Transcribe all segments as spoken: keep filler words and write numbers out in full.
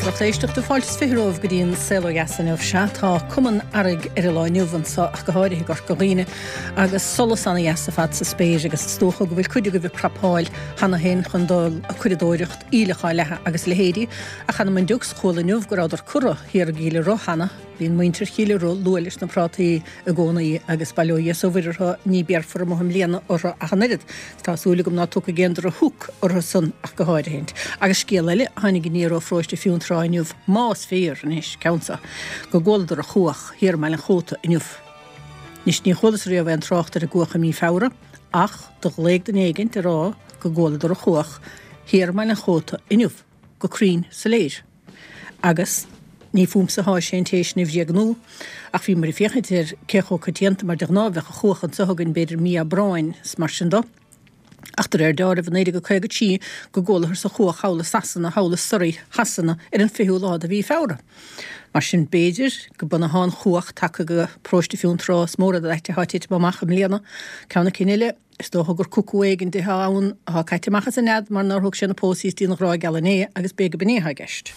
Lucht éisteachta fáilte is fiche romhaibh go dtí an Saol Ó Dheas inniu sea tá cuma an earraigh ar an lá inniu anseo ach go háirithe i gCorca Dhuibhne agus solas ana-dheas ar fad sa spéir agus is dócha go bhfuil cuid agaibh ag prapáil cheana féin chun dul ag curadóireacht aoileach á leathadh agus a leithéidí ach th'anam 'on diocs chuala inniu go rabhadar curtha thiar i gCill Ro cheana Bíonn muintir Chill Ro luath leis na prátaí i gcónaí agus bail ó Dhia is ó Mhuire orthu ní béarfar amuigh i mbliana orthu ach an oiread. Tá súil agam ná tiocfaidh aon drochshoc orthu san ach go háirithint. Agus scéal eile a tháinig aniar ó pharóiste Fionntrá inniu, más fíor anois, ceann seo, go gcualadar an chuach thiar i mBaile an Chóta inniu. Anois ní chualas riamh aon trácht ar an gcuach i mí Feabhra, ach do ghlaoigh duine éigint ag rá go gcualadar an chuach thiar i mBaile an Chóta inniu, go cruinn soiléir. Agus ní fúmsa atá sé an té sin a bhréagnú, ach bhíomar ag féachaint ar cé chomh coitianta, mar de ghnáth bheadh an chuach anseo againn b'fhéidir mí Aibreáin is mar sin do. Ach de réir deáraimh i naoi déag caoga trí go gcualathar an chuach thall i Sasana, thall i Surrey Shasana ar an fichiú lá de mhí Feabhra. Mar sin b'fhéidir go b'in atá an chuach tagtha go paróiste Fionntrá is mór an áit atá titim amach i mbliana. Ceann na cinn eile, Is dócha gur cucú éigin atá ann atá caite amach as a nead mar nár thug sé na pósaí istigh ina ghrá geal inné agus b'fhéidir go b'in é atá i gceist.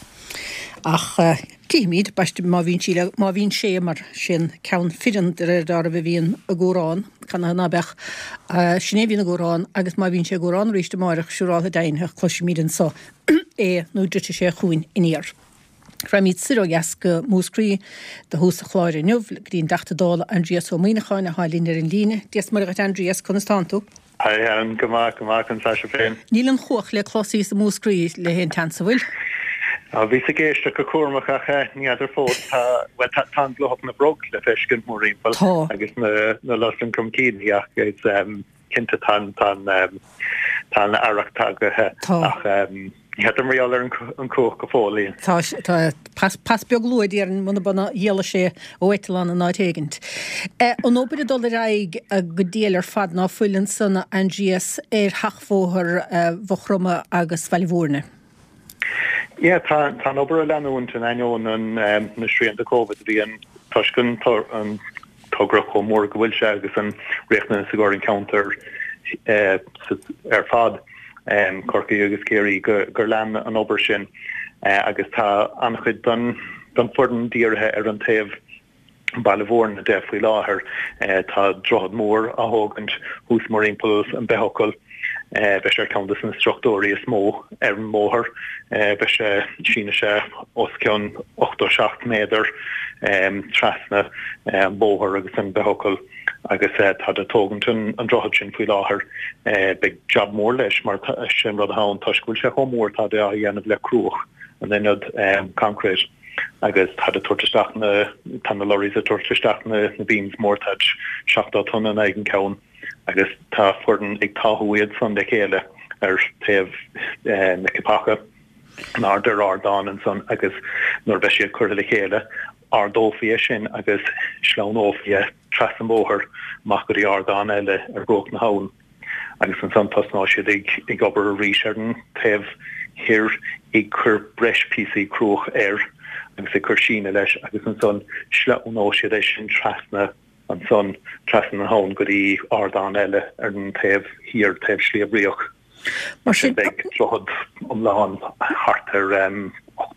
Ach cífimid, baiste, má bhíonn sí le, má bhíonn sé mar sin ceann fireann de réir deáraimh a bhíonn ag cúrán, canathaobh ná beadh, sin é a bhíonn ag cúrán agus má bhíonn sé ag cúrán arís amáireach siúráltha deimhneach cloisfimid anso é nó druidfidh sé chugainn aniar. Raghaimid soir ó dheas go Múscraí do thús an chláir inniu, go dtí an dTeachta Dála Aindrias Ó Muimhneacháin atá linn ar an líne. Dia is Muire dhuit Aindrias, conas tánn tú? Hi Helen, go maith, go maith, conas tá sibh féin? Níl an chuach le clos thíos i Múscraí le haon tseans, an bhfuil? Á, bhíos ag éisteacht go cúramach ach ní fheadar fós, tá, bhuel tá, tá an glóthach na bhfrog le feiscint mórthimpeall Tá. agus na, na lus cromcíní ach is, cinnte tá an, tá an, tá an earrach tagaithe Tá. ach ní fheadar mar gheall ar an chuach go fóill. Tá, tá pas, pas beag luath déarfainn muna b'in a d'éalaigh sé ó eitleán in áit éigint. An obair ag dul ar aghaidh go diail ar fad ná fuil ansan a Aindrias ar sheachbhóthar Mhaigh Chromtha agus Bhaile Mhúirne. Yeah, tá, tá an obair ag leanúint in ainneoin an, na srianta Covid a bhí ann toisc an, an togra chomh mór go bhfuil sé agus an riachtanas i gcomhair an ceantar ar fad, Corcaigh agus Ciarraí, gur lean an obair sin agus tá an-chuid den foireann dírithe ar an taobh Baile Mhúirne de faoi láthair. Tá droichead mór á thógaint thuas mórthimpeall an Beithfhocal. Beidh sé ar ceann de na struchtúirí is mó ar an mbóthar. Beidh sé, sínfidh sé os cionn ochtó seacht méadar trasna an bóthar agus an Beithfhocal agus táid ag tógaint an droichead sin faoi láthair. Beidh jab mór leis mar sin rud atá ann toisc go bhfuil sé chomh mór táid á dhéanamh le cruach in ionad concrete agus táid ag tabhairt isteach na, tá na lorries ag tabhairt isteach na beams mór, táid seachtó tonna in aghaidh an ceann agus tá foireann ag táthú iad san le chéile ar taobh na ceapacha in airde ar ardán ansan agus nuair a bheidh siad curtha le chéile ardófaí é sin agus sleamhnófaí é trasna an bhóthair amach go dtí ardán eile ar bhruach na habhann agus ansan tosnóidh siad ag ag obair arís ar an taobh thoir ag cur breis píosaí cruach air agus ag cur síneadh leis agus ansan sleamhnóidh siad é sin trasna ansan trasna na habhann go dtí ardán eile ar an taobh thiar, taobh Shliabh Riach. Mar sin beidh droichead iomlán thart ar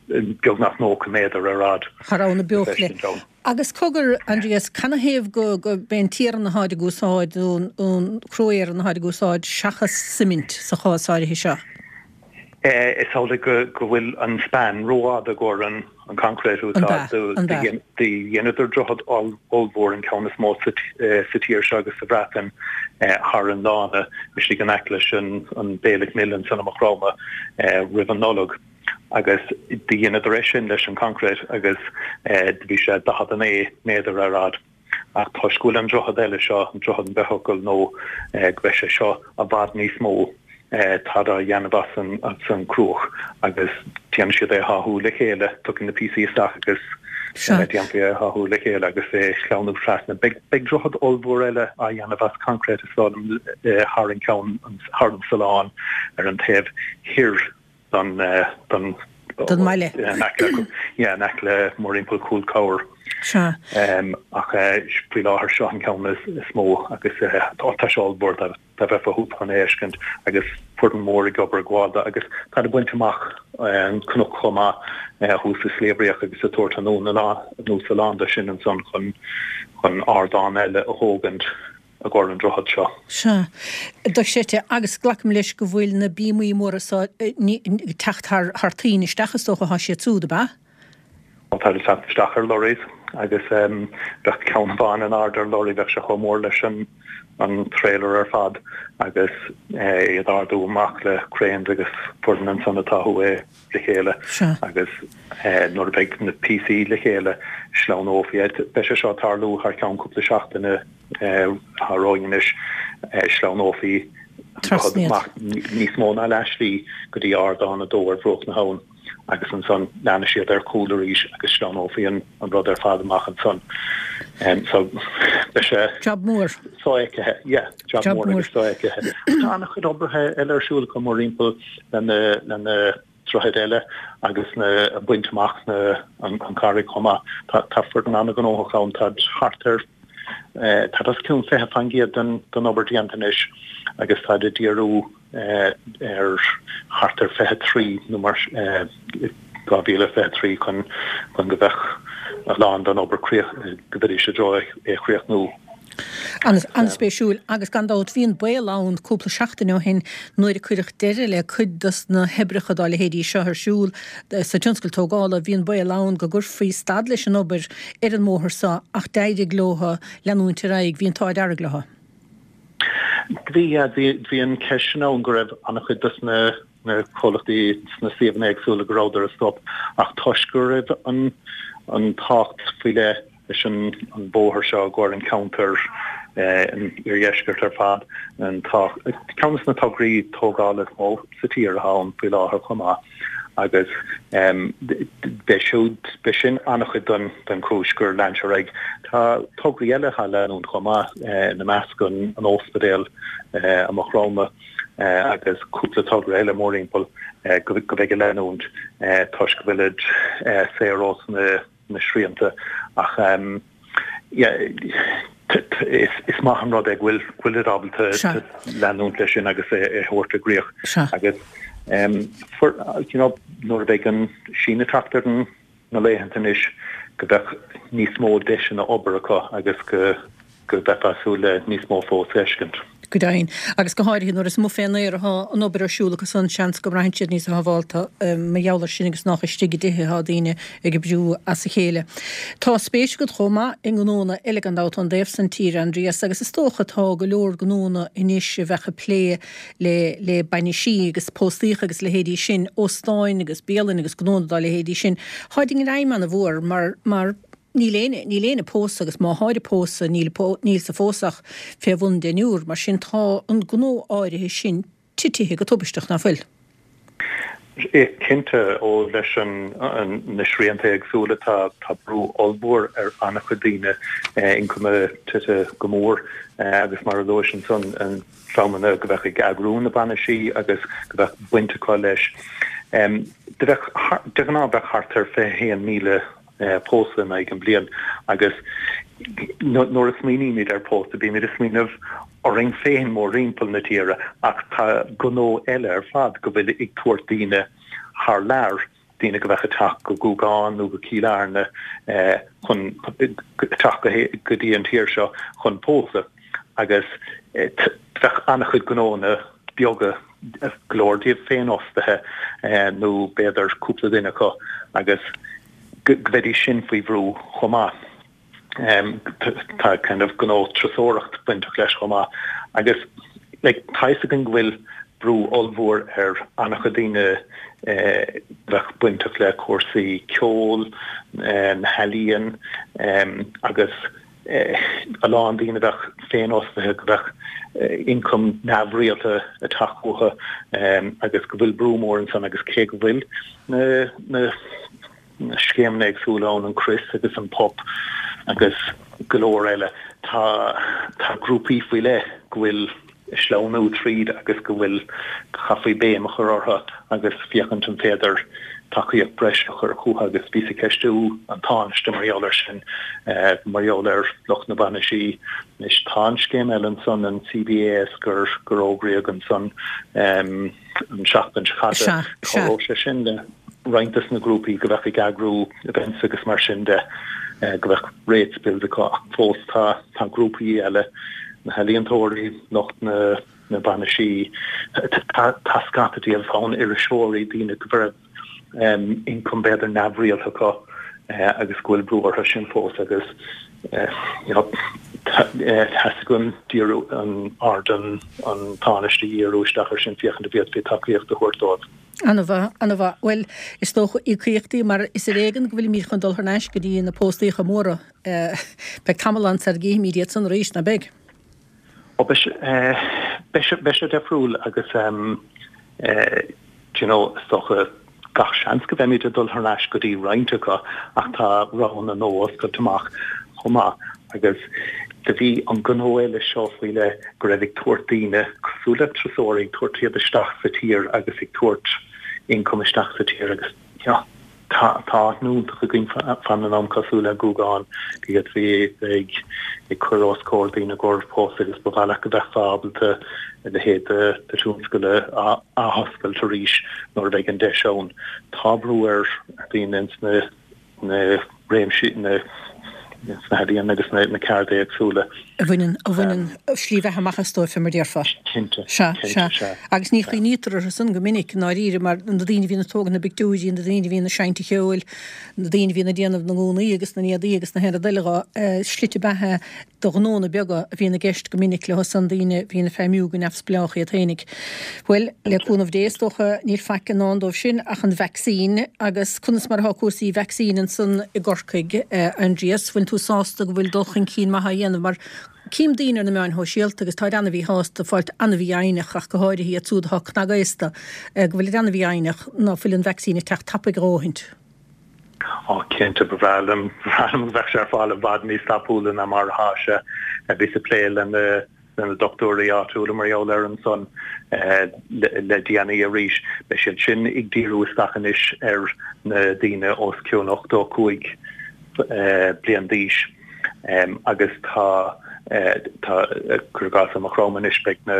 beagnach nócha méadar ar fhad. Thar Abhainn na Beochlaí. Agus cogar, Aindrias, canathaobh go b'é an t-iarann atáid ag úsáid, nó an cró-iarann atáid ag úsáid seachas suimint sa chás áirithe seo? Is amhlaidh go bhfuil an span rófhada i gcomhair an concrete a úsáid. Do dheineadar droichead ollmhór, an ceann is mó sa tír seo agus sa Bhreatain, thar an lána istigh in aice leis an Bailick Mill ansan i Maigh Chromtha roimh an Nollaig agus do dheineadar é sin leis an concrete agus do bhí sé daichead a naoi méadar ar fhad. Ach toisc go bhfuil an droichead eile seo, an droichead an Beithfhocal, nó go mbeidh sé seo i bhfad níos mó, táid á dhéanamh as an as an cruach agus déanfaidh siad é a tháthú le chéile, tiocfaidh na píosaí isteach agus déanfaí é a tháthú le chéile agus é a shleamhnú trasna. Beidh beidh droichead ollmhór eile á dhéanamh as concrete is dóigh liom thar an ceann thar an Sullán ar an taobh thoir don don Don mbaile. In aice yeah, in aice le mórthimpeall Chúl Corr. Sea. Ach faoi láthair seo an ceann is mó agus tá sé ollmhór dá mbeifeá thuas chun é a fheiscint agus foireann mhór ag obair ag gabháil dó agus táid ag baint amach an cnoc chomh maith thuas i Sliabh Riach agus ag tabhairt anuas a lán de sin ansan chun chun ardán eile a thógaint i gcomhair an droichead seo. Sea. Dochreidte. Agus glacaim leis go bhfuil na bíomaí móra so ag teacht thar thar toinn isteach is dócha atá siad siúd, ab ea? Tá siad ag teacht isteach ar lorries agus bheadh ceann amháin in airde ar lorry, bheadh sé chomh mór leis an an trailer ar fad agus iad a ardú amach le cranes agus foireann ansan ag táthú é le chéile agus nuair a bheidh na píosaí le chéile sleamhnófaí iad. Beidh sé seo ag tarlú thar ceann cúpla seachtaine atá romhainn anois, sleamhnófaí an rud amach níos mó ná leath slí go dtí ardán a dó ar bhruach na habhann. agus ansan leanfaidh siad ar chúl arís agus sleamhnófaí an rud ar fad amach ansan. So beidh sé Job mór. sofheicthe, yeah, job mór agus sofheicthe. Tá an-chuid oibrithe eile ar siúl acu mórthimpeall le na le na droichid eile agus na ag baint amach na an an charraig chomh maith. Tá tá foireann an-ghnóthach ann, tá thart ar tá os cionn fiche faoin gcéad den den obair déanta anois agus táid ag díriú ar thart ar fiche trí nó mar dhá mhíle fiche trí chun chun go mbeadh a lán den obair críoch go mbeidís i dtreo é a chríochnú. An-spéisiúil agus gan dabht bhí an baol ann cúpla seachtain ó shin nuair a cuireadh deireadh le cuid dos na hoibreacha dá leithéidí seo ar siúl sa tionscal tógála, bhí an baol ann go gcuirfí stad leis an obair ar an mbóthar seo ach d'éirigh leo leanúint ar aghaidh, bhí an t-ádh dearg leo. Bhí, bhí an cheist sin ann go raibh an-chuid dos na na comhlachtaí sna suíomhanna éagsúla go rabhadar ag stop ach toisc go raibh an an tábhacht faoi leith leis an an bóthar seo i gcomhair an ceantar an iardheiscirt ar fad an ceann de na tograí tógála is mó sa tír atá ann faoi láthair chomh maith. Agus b'é siúd, b'é sin an-chuid den den chúis gur lean sé ar aghaidh. Tá tograí eile atá ag leanúint chomh maith, ina measc an an óspidéal i Maigh Chromtha agus cúpla togra eile mórthimpeall go go mbeidh ag leanúint toisc go bhfuilid saor ós na na srianta ach is maith an rud é go bhfuil go bhfuilid ábalta leanúint leis sin agus é a thabhairt i gcrích agus you know nuair a bheidh an síneadh ag teacht ar na laethanta anois go mbeadh níos mó deiseanna obair acu agus go go mbeifeá ag súil le níos mó fós a fheiscint. Go deimhin. Agus go háirithe nuair is amuigh fén aer atá an obair ar siúl acu san, seans go mbraitheann siad níos sábhálta mar gheall ar sin agus nách istigh i dtithe atá daoine ag oibriú as a chéile. Tá spéis agat chomh maith i ngnónna eile gan dabht ón dtaobh san tíre, Aindrias, agus is dócha tá go leor gnónna anois a bheadh ag plé le le bainisí agus póstaíocha agus leithéidí sin, óstáin agus bialanna agus gnónna dá leithéidí sin. Táid i ngreim ana-mhór mar mar Níl éinne, níl éinne ag pósadh agus má tháid ag pósadh níl, níl sa phósadh ach fé bhun deichniúr, mar sin tá an gnó áirithe sin titithe go tubaisteach, ná fuil? Cinnte, ó leis an, na srianta éagsúla tá, tá brú ollmhór ar an-chuid daoine, ioncam tite go mór agus mar a luais ansan, an dreamanna go bheadh ag eagrú na bainisí agus go bheadh baint acu leis. Do bheadh, de ghnáth bheadh thart ar fiche haon míle pósadh in aghaidh an bliain agus nuair a smaoinímid ar pósadh bímid ag smaoineamh orainn féin mórthimpeall na tíre ach tá gnó eile ar fad go bhfuil ag tabhairt daoine thar lear, daoine go bheadh ag teacht go Gúgán nó go Cill Airne chun teacht go dtí an tír seo chun pósadh agus bheadh an-chuid gnónna beaga, go leor díobh féinfhostaithe nó b'fhéidir cúpla duine acu agus go mbeidís sin faoi bhrú chomh maith. Tá kind of gnó turasóireacht bainteach leis chomh maith agus like tá fhios againn go bhfuil brú ollmhór ar an-chuid daoine a bheadh bainteach le cúrsaí ceoil, na healaíon agus a lán daoine a bheadh féinfhostaithe go bheadh ioncam neamhrialta ag teacht uathu agus go bhfuil brú mór ansan agus cé go bhfuil na na scéimeanna éagsúla ann, an CRIS agus an PUP agus go leor eile, tá tá grúpaí faoi leith go bhfuil ag sleamhnú tríd agus go bhfuil, chaithfí béim a chur orthu agus féachaint an féidir tacaíocht breise a chur chucu agus bhíos ag ceistiú an Tánaiste mar gheall air sin, mar gheall ar lucht na bainisí. Anois tá an scéim eile ansan, an CBAS, gur gur fhógraíodh ansan an tseachtain seo caite. Cabhróidh sé sin le roinnt des na grúpaí go bheadh ag eagrú events agus mar sin de, go bheadh rates bills acu ach fós tá tá grúpaí eile, na healaíontóirí, lucht na na bainisí, tá tá scata díobh ann, iriseoirí, daoine go raibh ioncam b'fhéidir neamhrialta acu agus go bhfuil brú orthu sin fós agus you know theastaigh uaim díriú an aird an an Tánaiste a dhíriú isteach air sin féachaint an bhféadfaí tacaíocht a thabhairt dóibh. An-mhaith, an-mhaith. Bhuel, is dócha íocaíochtaí mar is ar éigean go bhfuilimid chun dul thar n-ais go dtí na póstaíocha móra. Beidh tamall ann sar a gcífimid iad san arís, ná beidh? Ó beidh sé, beidh sé, beidh sé difriúil agus do you know, is dócha gach seans go mbeimid ag dul thar n-ais go dtí roinnt acu ach tá roghanna nua oscailte amach chomh maith agus do bhí an gnó eile seo faoi leith go raibh ag tabhairt daoine cosúil le turasóirí ag tabhairt iad isteach sa tír agus ag tabhairt income isteach sa tír agus you know, tá tá aithne iontach againn fan an am cosúil le Gúgán go bhféadfaí bheith ag cur os comhair daoine i gcomhair pósadh agus ba mhaith leat go mbeifeá ábalta a leithéid de de thionscal a athoscailt arís nuair a bheidh an deis ann. Tá brú ar dhaoine ins na na réimsí na sna healaíona agus na na cearda éagsúla. A bhaineann a bhaineann slí bheatha amach as dóibh, mar déarfá. Cinnte, Sea, cinnte, sea. sea. Agus ní chuimhnítear orthu san go minic, i ndáiríre, mar na daoine a bhíonn ag tógaint na bpictiúirí, na daoine a bhíonn ag seinnt an cheoil, na daoine a bhíonn ag déanamh na ngúnaí agus na n-éadaí agus na haon rud eile dho, slite beatha do ghnónna beaga a bhíonn i gceist go minic leo san, daoine a bhíonn ag feidhmiú go neamhspleách iad féinig. Bhuel, le cúnamh Dé, is dócha, níl faic i ndán dóibh sin ach an vacsaín agus conas mar atá cúrsaí vacsaín ansan i gCorcaigh, Aindrias, bhfuil tú sásta go bhfuil dul chun cinn maith á dhéanamh mar cím daoine ar na meáin shóisialta agus táid an-mhíshásta, fáilt an-mhífhoighneach ach go háirithe iad siúd atá cnagaosta, go bhfuilid an-mhífhoighneach ná fuil an vacsaín ag teacht tapaidh a dhóthaint. Á cinnte, ba bhreá liom, ba bhreá liom go mbeadh sé ar fáil i bhfad níos tapúla ná mar atá sé. Bhíos ag plé le na le na dochtúirí áitiúla mar gheall air ansan le déanaí arís. Beidh siad sin ag díriú isteach anois ar na daoine os cionn ochtó a cúig bliain d'aois agus tá tá cuir i gcás i Maigh Chromtha anois beidh na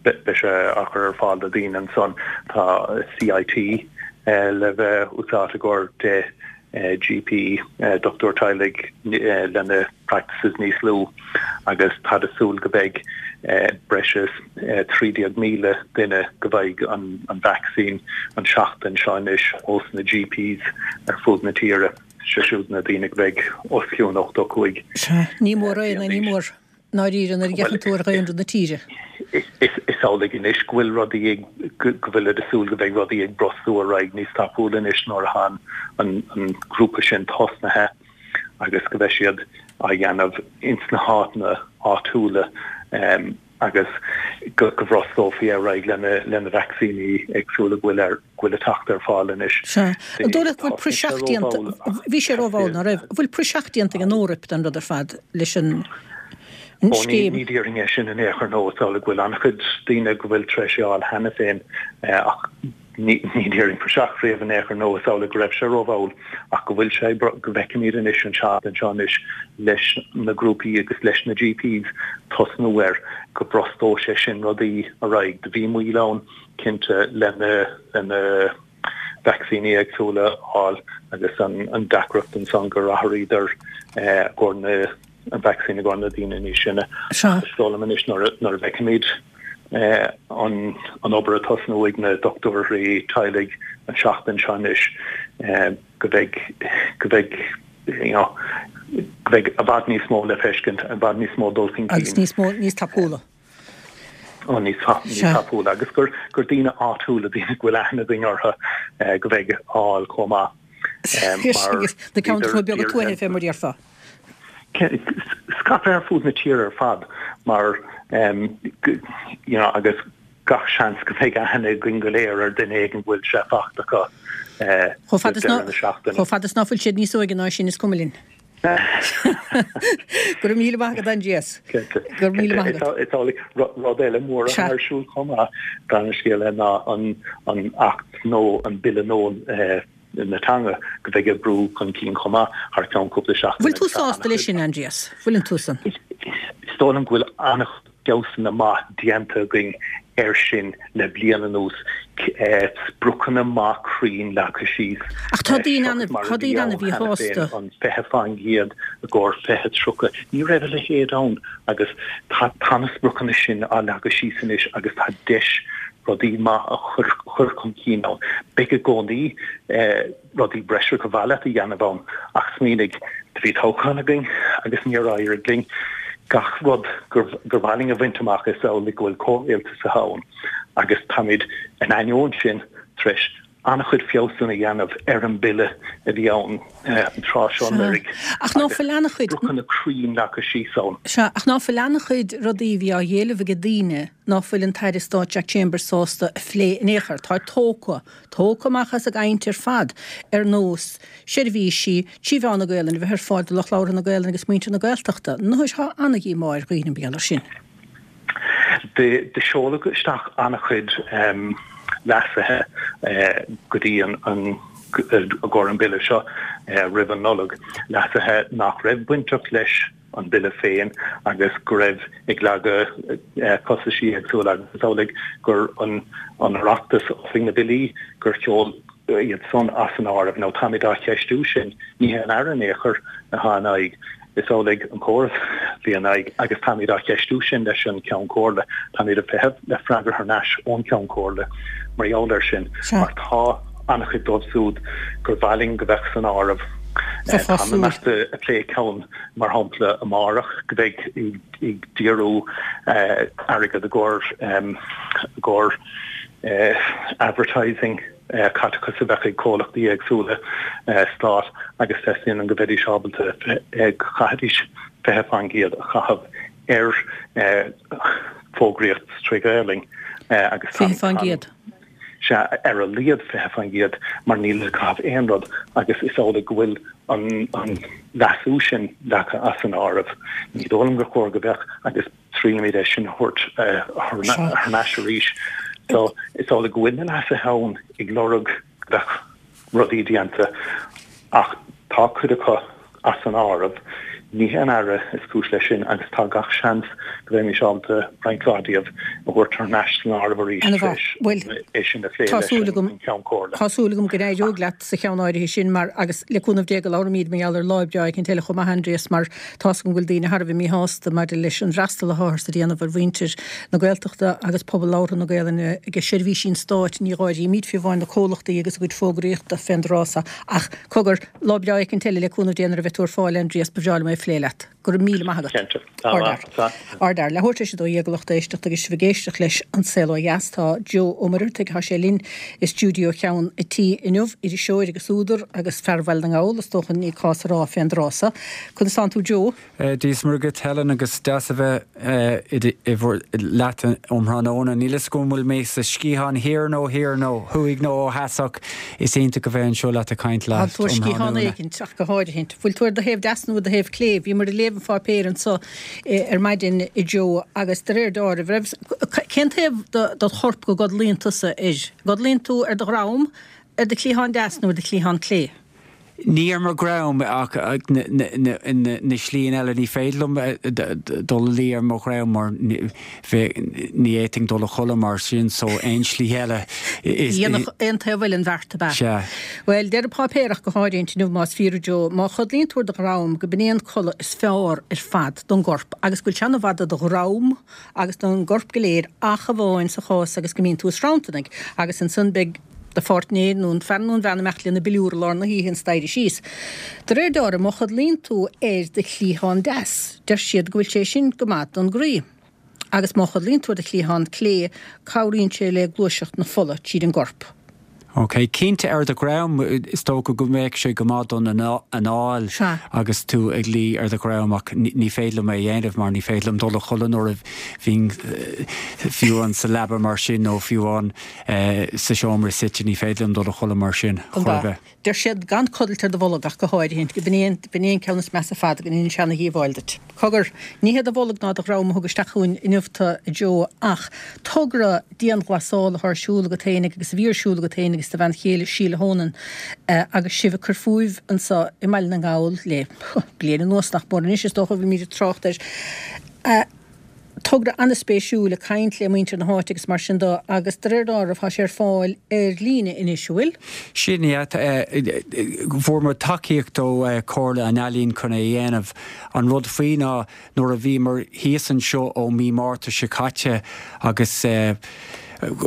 beidh sé á chur ar fáil do daoine ansan. Tá CIT le bheith úsáidte i gcomhair deich GP, dochtúir teaghlaigh, lena practices níos lú agus táid ag súil go mbeidh breis is trí déag míle duine go bhfaighidh an vacsaín an tseachtain seo anois ós na GPs ar fud na tíre, sé siúd na daoine go mbeidh os cionn ochtó cúig Sea, ní mór é, ní mór. ndáiríre nuair a fhéachann tú ar dhaonra na tíre. Is amhlaidh anois go bhfuil rudaí ag, go bhfuilid ag súil go mbeidh rudaí ag brostú ar aghaidh níos tapúla anois nuair atá an grúpa sin tosnaithe agus go mbeidh siad á dhéanamh ins na háiteanna áitiúla agus go bhrostófaí ar aghaidh le na vacsaíní éagsúla go bhfuil ar go bhfuil ag teacht ar fáil anois. Sea. An dóigh leat go bhfuil praiseach déanta, bhí sé rómhall, ná raibh? An bhfuil praiseach déanta ag an Eoraip den rud ar fad leis an Ó, ní, scéim? ní déarfainn é sin in aon chor, nó is amhlaidh go bhfuil an-chuid daoine go bhfuil tar éis é a fháil cheana féin ach ní, ní déarfainn praiseach riamh in aon chor, nó is amhlaidh go raibh sé rómhall ach go bhfuil sé, go bhfeicfimid anois an tseachtain seo anois leis na grúpaí agus leis na GPs tosnú air, go bhrostóidh sé sin rudaí ar aghaidh. Do bhí moill ann. cinnte le na vacsaíní éagsúla a fháil agus an deacracht ansan gur athraíodar i gcomhair na an vacsaín i gcomhair na daoine níos sine. Sea. Is dóigh liom anois nuair a bhfeicfimid an an obair ag tosnú ag na dochtúirí teaghlaigh an tseachtain seo anois go mbeidh go mbeidh you know go mbeidh i bhfad níos mó le feiscint, i bhfad níos mó dul chun cinn. Agus níos mó níos tapúla. Ó, níos tapúla agus gur gur daoine áitiúla, daoine go bhfuil aithne againn orthu go mbeidh á fháil chomh maith. Mar na ceantracha beaga tuaithe fé mar a déarfá. Scaipthe ar fud na tíre ar fad mar you know agus gach seans go mbeidh aithne againn go léir ar duine éigin go bhfuil sé faighte acu roimh deireadh na seachtaine. Chomh fada is ná fuil siad níos óige ná sin is cuma linn. Go raibh míle maith agat, Aindrias. Cinnte. Go raibh míle maith agat. Is amhlaidh rud eile mór atá ar siúl chomh maith, dar an scéal é, ná an Acht nó an Bille nua na teanga go bheidh ag brú chun cinn chomh maith thar ceann cúpla seachtain. Bhfuil tú sásta leis sin, Aindrias? Bhfuileann tusa? Is dóigh liom go bhfuil an-chuid feabhsanna maith déanta againn air sin le bliain anuas, spriocanna maith cruinn leagtha síos. Ach tá daoine ann, tá daoine ann a bhí sásta. An fiche faoin gcéad i gcomhair fiche tríocha, ní raibh a leithéid ann agus tá tá na spriocanna sin á leagadh síos anois agus tá deis rudaí maith a chur chur chun cinn ann. Beidh i gcónaí rudaí breise gur mhaith leat a dhéanamh ann ach smaoinigh, do bhí toghchán againn agus níor éirigh linn gach rud gur gur mhaith linn a bhaint amach is amhlaidh go bhfuil comhrialtas ann agus táimid in ainneoin sin tar éis an-chuid feabhsanna a dhéanamh ar an bille a bhí ann an tráth seo anuraidh Ach ná fuil an-chuid. spriocanna cruinn leagtha síos ann. Sea, ach ná fuil an-chuid rudaí a bhí á éileamh ag daoine ná fuil an tAire Stáit Jack Chambers sásta a phlé in aon chor. Tá tógtha, tógtha amach as an gcaint ar fad, ar nós seirbhísí trí mheán na Gaelainne a bheith ar fáil do lucht labhartha na Gaelainne agus muintir na Gaeltachta. Anois tá an-dhíomá ar dhaoine mar gheall air sin. Do seoladh isteach an-chuid leasuithe go dtí an i gcomhair an Bille seo roimh an Nollaig, leasuithe nach raibh bainteach leis an Bille féin agus go raibh ag leagadh costaisí éagsúla agus is amhlaidh gur an Oireachtas, Oifig na mBillí, gur sheol iad san as an áireamh. Now táimid á cheistiú sin, ní hé an Aire in aon chor atá in aghaidh, is amhlaidh an córas a bhí in aghaidh agus táimid á cheistiú sin leis an Ceann Comhairle. Táimid ag feitheamh le freagra thar n-ais ón Cheann Comhairle mar gheall air sin mar tá an-chuid dóibh siúd gur mhaith linn go mbeadh san áireamh. Táim imeacht ag plé ceann mar shampla amárach go mbeidh ag díriú airgead i gcomhair i gcomhair advertising caiteachas a bheadh ag comhlachtaí éagsúla stáit agus teastaíonn go mbeidís ábalta go gcaithfidís fiche faoin gcéad a chaitheamh ar fógraíocht trí Ghaelainn agus tá Fiche faoin gcéad. Sea, ar a laghad fiche faoin gcéad mar níl le caitheamh aon rud agus is amhlaidh go bhfuil an leasú sin leagtha as an áireamh. Ní dóigh liom gur chóir go mbeadh agus triailfimid é sin a thabhairt thar n-ais arís. So is amhlaidh go bhfuil na leasuithe ann ag lorg go mbeadh rudaí déanta ach tá cuid acu as an áireamh. Ní hé an Aire is cúis leis sin agus tá gach seans go mbeimis ábalta roinnt mhaith díobh a thabhairt thar n-ais san áireamh arís tar éis é sin a phlé leis an Cheann Comhairle. Tá súil agam go n-éireoidh leat sa cheann áirithe sin mar, agus le cúnamh Dé go labhróimid mar gheall ar lá breá éicint eile chomh maith, Aindrias, mar tá's agam go bhfuil daoine thar a bheith míshásta maidir leis an bhfreastal atáthar a dhéanamh ar mhuintir na Gaeltachta agus pobal labhartha na Gaelainne ag seirbhísí an stáit. Ní dh'áirímid fiú amháin na comhlachtaí agus a gcuid fógraíochta fén dtráth so. Ach cogar, lá breá éicint eile le cúnamh Dé nuair a bheidh tú ar fáil, Aindrias, ba bhreá liom é a phlé leat. Go raibh míle maith agat. Cinnte. Tá. Ardfhear. Leathuair tar éis a dó dhéag a lucht éisteachta agus sibh ag éisteacht leis An Saol Ó Dheas. Tá Joe Ó Muircheartaigh, tá sé linn i stiúideo Cheann a' Tí inniu, iriseoir agus údar agus fear Bhaile na nGall, is dócha, ní cás a rá fén dtráth so. Conas tánn tú Joe? Dia is Muire dhuit Helen agus deas a bheith leat um thráthnóna. Níl fhios agam an bhfuil mé sa sciathán thiar nó thiar nó thuaidh nó ó theas ach is iontach a bheith anseo leat ag caint leat um thráthnóna. Tá tú ar sciathán éigint ach go háirithint. Bhfuil tú ar do thaobh deas nó ar do thaobh clé? Bhíomar ag léamh an pháipéir anso ar maidin a Joe agus de réir dealraimh, raibh, cén taobh dod chorp go gcodlaíonn tusa air? Gcodlaíonn tú ar do dhroim, ar do chliathán deas nó ar do chliathán clé? Ní ar mo dhroim ach na slí eile. Ní féidir liom dul a luí ar mo dhroim mar ní fhéadfainn dul a chodladh mar sin so aon slí eile is. Dhéanfadh aon taobh eile an bheart ab ea? Sea. Bhuel, deir an páipéar ach go háirínt inniu más fíor a Joe, má chodlaíonn tú ar do dhroim go b'in é an codladh is fearr ar fad don gcorp agus go bhfuil sé ana-mhaith do do dhroim agus don gcorp go léir ach amháin sa chás agus go mbíonn tú ag sranntarnaigh agus ansan beidh do pháirtnéir nó an fear nó an bhean imeacht lena bpiliúr i lár na hoíche an staighre síos. De réir dealraimh, má chodlaíonn tú ar do chliathán deas, deir siad go bhfuil sé sin go maith don gcroí. Agus má chodlaíonn tú ar do chliathán clé, cabhraíonn sé le gluaiseacht na fola tríd an gcorp. Ok, cinnte ar do dhroim, is dócha go mbeadh sé go maith don anáil agus tú ag luí ar do dhroim ach ní féidir liom é a dhéanamh mar ní féidir liom dul a chodladh nuair a bhíonn fiú amháin sa leaba mar sin nó fiú amháin sa seomra suite, ní féidir liom dul a chodladh mar sin chor ar bith. Deir siad gan codlailt ar do bholg ach go háirithint, go b'in é an, b'in é an ceann is measa ar fad, go ndéanann sé ana-dhíobháil duit. Cogar, ní hé do bholg ná do dhroim a thug isteach chugainn inniu tú, a Joe, ach togra dianghlasála atá ar siúl agat fhéinig agus a bhí ar siúl agat fhéinig agus do bhean chéile Síle Honan agus sibh ag cur fúibh anseo i mBaile na nGall le bliain anuas nach mór anois is dócha a bhfuilimid ag trácht air. Togra an-spéisiúil ag caint le muintir na háite agus mar sin de agus de réir dealraimh tá sé ar fáil ar líne anois, an bhfuil? Sin é, fuair muid tacaíocht ó Chomhairle an Ealaíon chun é a dhéanamh. An rud faoi ná nuair a bhíomar thíos anseo ó mí Márta seo caite agus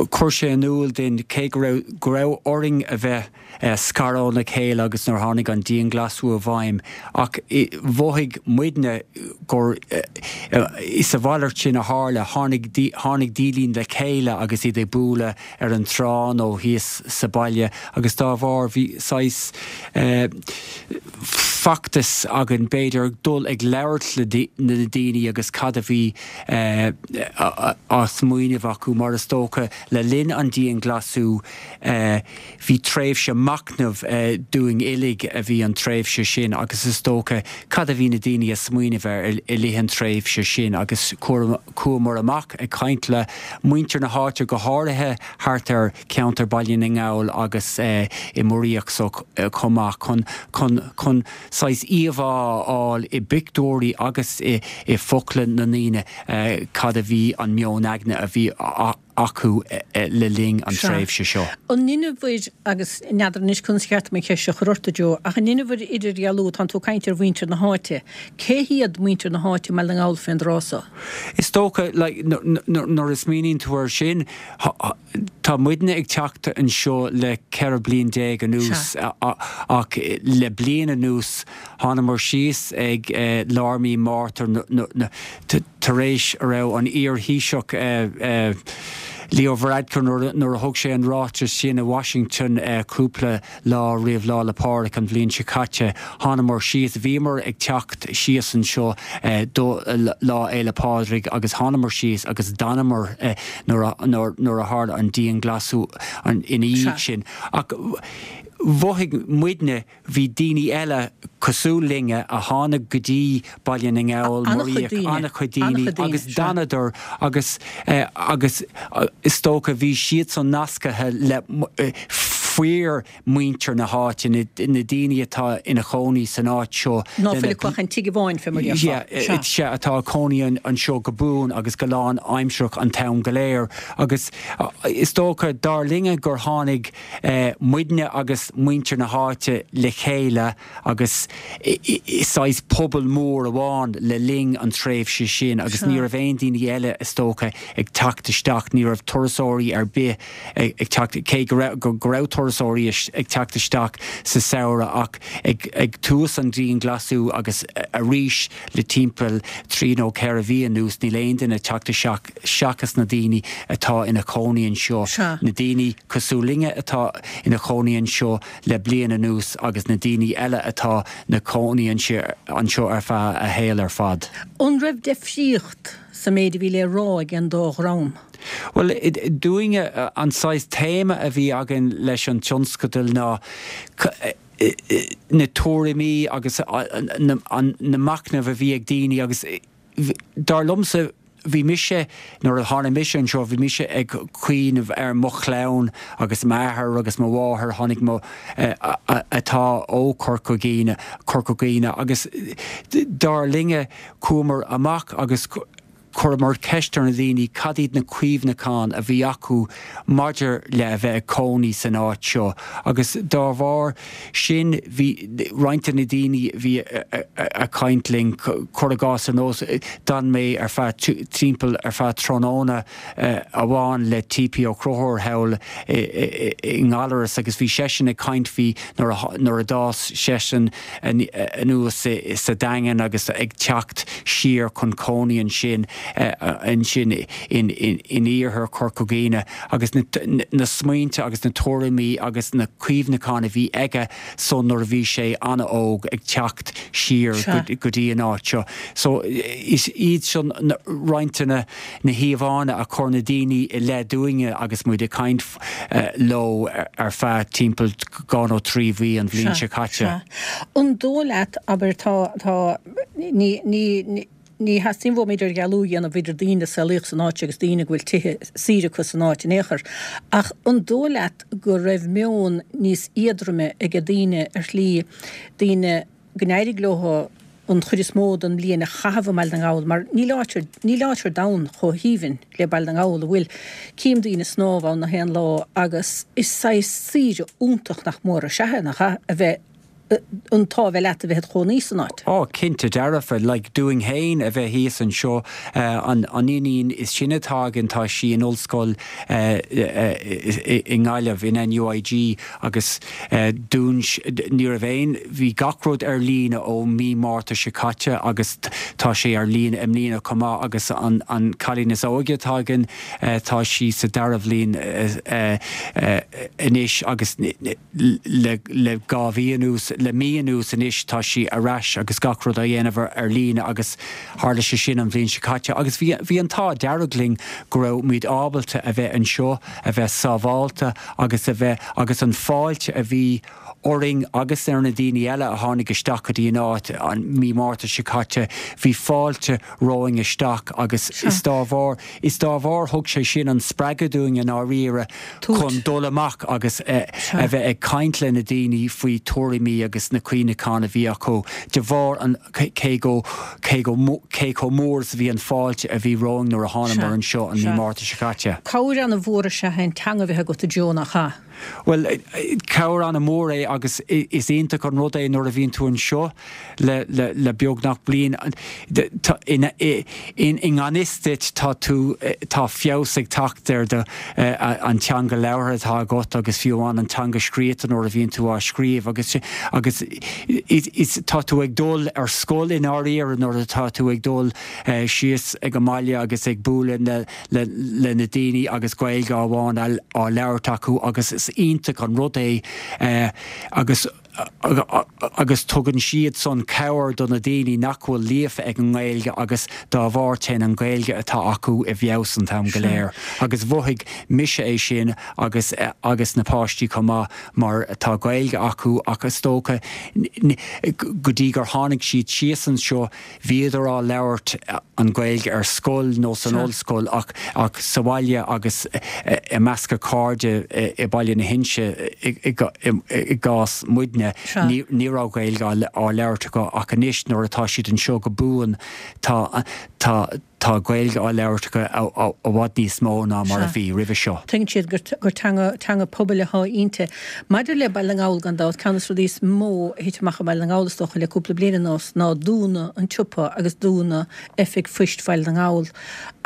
chuir sé in iúl dúinn cé go raibh go raibh orainn a bheith scartha óna chéile agus nuair a tháinig an dianghlasáil i bhfeidhm ach mhothaigh muidne gur is a mhalairt sin a tharla, tháinig tháinig daoine le chéile agus iad ag bualadh ar an trá nó thíos sa baile agus dá bharr bhí saghas feachtas againn b'fhéidir dul ag labhairt le na daoine agus cad a bhí á smaoineamh acu mar is dócha le linn an dianghlasáil bhí tréimhse machnaimh dúinn uilig a bhí an tréimhse sin agus is dócha cad a bhí na daoine ag smaoineamh air i rith an tréimhse sin agus chuamar amach ag caint le muintir na háite go háirithe thart ar cheantar Baile na nGall agus i Muiríoch so chomh maith chun chun chun saghas íomhá a fháil i bpictiúirí agus i i bhfocla na ndaoine cad a bhí an meon aigne a bhí acu le linn an tréimhse seo. An ndeineabhair, agus n'fheadar anois conas ba cheart dom an cheist seo a chur ort, a Joe, ach an ndeineabhair idirdhealú, tánn tú ag caint ar mhuintir na háite, cé hiad muintir na háite i mBaile na nGall fén dtráth so? Is dócha, like, nuair a smaoiníonn tú air sin, tá muidne ag teacht anseo le ceithre bliain déag anuas ach le bliain anuas thánamar síos ag lár mí Márta tar éis a raibh an iar-Thaoiseach Leo Varadkar nuair a thug sé an ráiteas sin i Washington cúpla lá roimh Lá 'le Pádraig an bhliain seo caite. Thánamar síos, bhíomar ag teacht síos anseo do Lá Fhéile Pádraig agus thánamar síos agus d'fhanamar nuair a tharla an dianghlasáil ina dhiaidh sin. Ach mhothaigh muidne, bhí daoine eile cosúil linne a tháinig go dtí Baile na nGall, An-chuid daoine. An-chuid daoine agus d'fhanadar agus agus is dócha bhí siadsan nascaithe le fíor muintir na háite, na daoine atá ina chónaí san áit seo. Ná fuil acu ach an tigh amháin fé mar a déarfá. Sea, atá ag cónaí anseo go buan agus go lán-aimsearach an t-am go léir agus is dócha dar linne gur tháinig muidne agus muintir na háite le chéile agus i saghas pobal mór amháin le linn an tréimhse sin agus ní raibh aon daoine eile is dócha ag teacht isteach, ní raibh turasóirí ar bith ag teacht, cé go raibh go raibh turasóirí ag teacht isteach sa samhradh ach ag ag tús an dianghlasáil agus arís le timpeall trí nó ceithre mhí anuas níl aon duine ag teacht isteach seachas na daoine atá ina chónaí anseo, na daoine cosúil linne atá ina chónaí anseo le bliain anuas agus na daoine eile atá 'na cónaí anseo ar feadh a shaol ar fad. An raibh deifríocht sa méid a bhí le rá ag an dá dhream? Bhuel, dúinne, an saghas téama a bhí againn leis an tionscadal ná na tuairimí agus na machnaimh a bhí ag daoine agus dar liomsa, Bhí mise, nuair a tháinig mise anseo, bhí mise ag cuimhneamh ar mo chlann agus m'athair agus mo mháthair, tháinig mo, atá ó Chorca Dhuibhne, Corca Dhuibhne agus dar linne, chuamar amach agus chuireamar ceist ar na daoine cad iad na cuimhneacháin a bhí acu maidir le a bheith ag cónaí san áit seo agus dá bharr sin bhí roinnt de na daoine a bhí ag caint linn, cuir i gcás ar nós, d'fhan mé ar feadh timpeall ar feadh tráthnóna amháin le T.P. Ó Conchúir thall i nGallaras agus bhí seisean ag caint faoi nuair a d'fhás seisean anuas sa Daingean agus ag teacht siar chun cónaí ansin ansin in iarthar Chorca Dhuibhne agus na smaointe agus na tuairimí agus na cuimhneacháin a bhí aige san nuair a bhí sé an-óg ag teacht siar go dtí an áit seo. So is iad sin roinnt de na híomhánna a chuir na daoine i leith dúinne agus muid ag caint leo ar feadh timpeall dhá nó trí mhí an bhliain seo caite. An dóigh leat, abair, tá, tá, ní, ní, ní theastaíonn uaim idirdhealú a dhéanamh idir daoine a saolaíodh san áit agus daoine go bhfuil tithe saoire acu san áit in aon chor, ach an dóigh leat go raibh meon níos éadroime ag daoine ar shlí, daoine go n-éirigh leo an chuid is mó den bhliain a chaitheamh i mBaile na nGall, mar níl áit ar, níl áit ar domhan chomh haoibhinn le Baile na nGall, an bhfuil? Cím daoine ag snámh ann na haon lá agus is saghas saoire iontach nach mór is ea é, nach ea, a bheith, an t-ádh a bheith leat a bheith id chónaí san áit. Ó, cinnte dearfa, like dúinn fhéin a bheith thíos anseo, an an iníon is sine atá againn tá sí in ollscoil i nGaillimh, in NUIG agus dún, ní raibh aon, bhí gach rud ar líne ó mí Márta seo caite agus tá sé ar líne i mbliana chomh maith agus an an cailín is óige atá againn tá sí sa dara bhliain anois agus le le dhá mhí anuas, le mí anuas anois tá sí ar ais agus gach rud á dhéanamh ar líne agus tharla sé sin an bhliain seo caite agus bhí bhí an t-ádh dearg linn go raibh muid ábalta a bheith anseo, a bheith sábhálta agus a bheith agus an fáilte a bhí orainn agus ar na daoine eile a tháinig isteach go dtí an áit an mí Márta seo caite, bhí fáilte romhainn isteach agus is dá bharr is dá bharr thug sé sin an spreagadh dúinn i ndáiríre chun dul amach agus a bheith ag caint le na daoine faoi tuairimí agus na cuimhneacháin a bhí acu de bharr an cé go cé go cé chomh mór is a bhí an fáilte a bhí romhainn nuair a thánamar anseo an mí Márta seo caite. Cabhair an-mhór is ea an teanga a bheith agat a Joe, nach ea? Bhuel, cabhair an-mhór é agus is iontach an rud é nuair a bhíonn tú anseo le le beagnach bliain. I ngan fhios duit tá tú, tá feabhas ag teacht ar do, an teanga labhartha atá agat agus fiú amháin an teanga scríofa nuair a bhíonn tú á scríobh agus agus is tá tú ag dul ar scoil i ndáiríre nuair atá tú ag dul síos ag an mbaile agus ag bualadh le le le na daoine agus Gaeilge amháin á labhairt acu agus is iontach an rud é agus agus tugann siad san cabhair do na daoine nach bhfuil líofa ag an nGaeilge agus dá bharr téann an Ghaeilge atá acu i bhfeabhas an t-am go léir. Agus mhothaigh mise é sin agus agus na páistí chomh maith mar tá Gaeilge acu ach is dócha go dtí gur tháinig siad síos anseo bhíodar á labhairt an Ghaeilge ar scoil nó san ollscoil ach ach sa bhaile agus i measc a cairde i Baile na hInse i gcás muidne ní ní raibh Gaeilge á labhairt acu ach anois nuair atá siad anseo go buan tá tá tá Gaeilge á labhairt acu i bhfad níos mó ná mar a bhí roimhe seo. Tuigeann siad gur teanga, teanga pobail atá inti. Maidir le Baile na nGall gan dabht, ceann de na rudaí is mó a thit amach i mBaile na nGall is dócha le cúpla bliain anuas ná dúnadh an tsiopa agus dúnadh Oifig Phoist Bhaile na nGall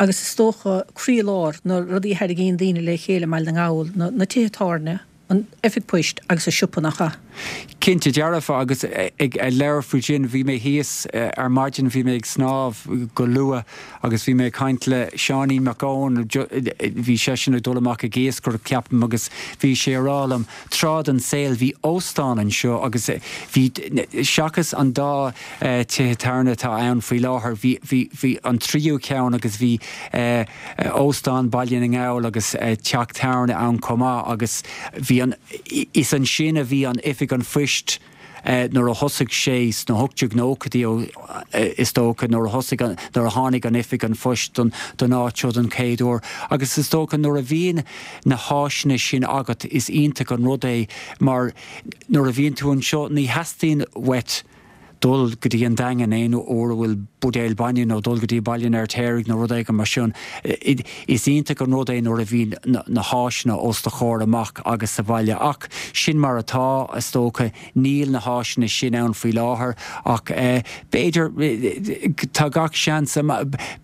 agus is dócha croílár na rudaí a tharraingíonn daoine le chéile i mBaile na nGall, na tithe tábhairne, an Oifig Poist agus an siopa, nach ea? Cinnte dearfa agus ag labhairt faoi sin, bhí mé thíos ar maidin, bhí mé ag snámh go luath agus bhí mé ag caint le Seáinín Mac Eoin, bhí seisean ag dul amach ag iascaireacht ceapaim agus bhí sé ag rá liom, tráth den saol bhí óstán anseo agus bhí, seachas an dá tithe tábhairne atá ann faoi láthair, bhí, bhí, bhí an tríú ceann agus bhí Óstán Baile na nGall agus teach tábhairne ann chomh maith agus bhí an, is ansin a bhí an Oifig an Phoist nuair a thosaigh sé sna hocht déag nóchaidí is dócha nuair a thosaigh an, nuair a tháinig an Oifig an Phoist don, don áit seo don chéad uair agus is dócha nuair a bhíonn na háiseanna sin agat is iontach an rud é mar nuair a bhíonn tú anseo ní theastaíonn uait dul go dtí an Daingean aon uair a bhfuil buidéal bainne nó dul go dtí Baile an Fheirtéaraigh nó rud éigin mar sin. Is iontach an rud é nuair a bhíonn na háiseanna os do chomhair amach agus sa bhaile. Ach sin mar atá, is dócha. Níl na háiseanna sin ann faoi láthair ach b'fhéidir, tá gach seans,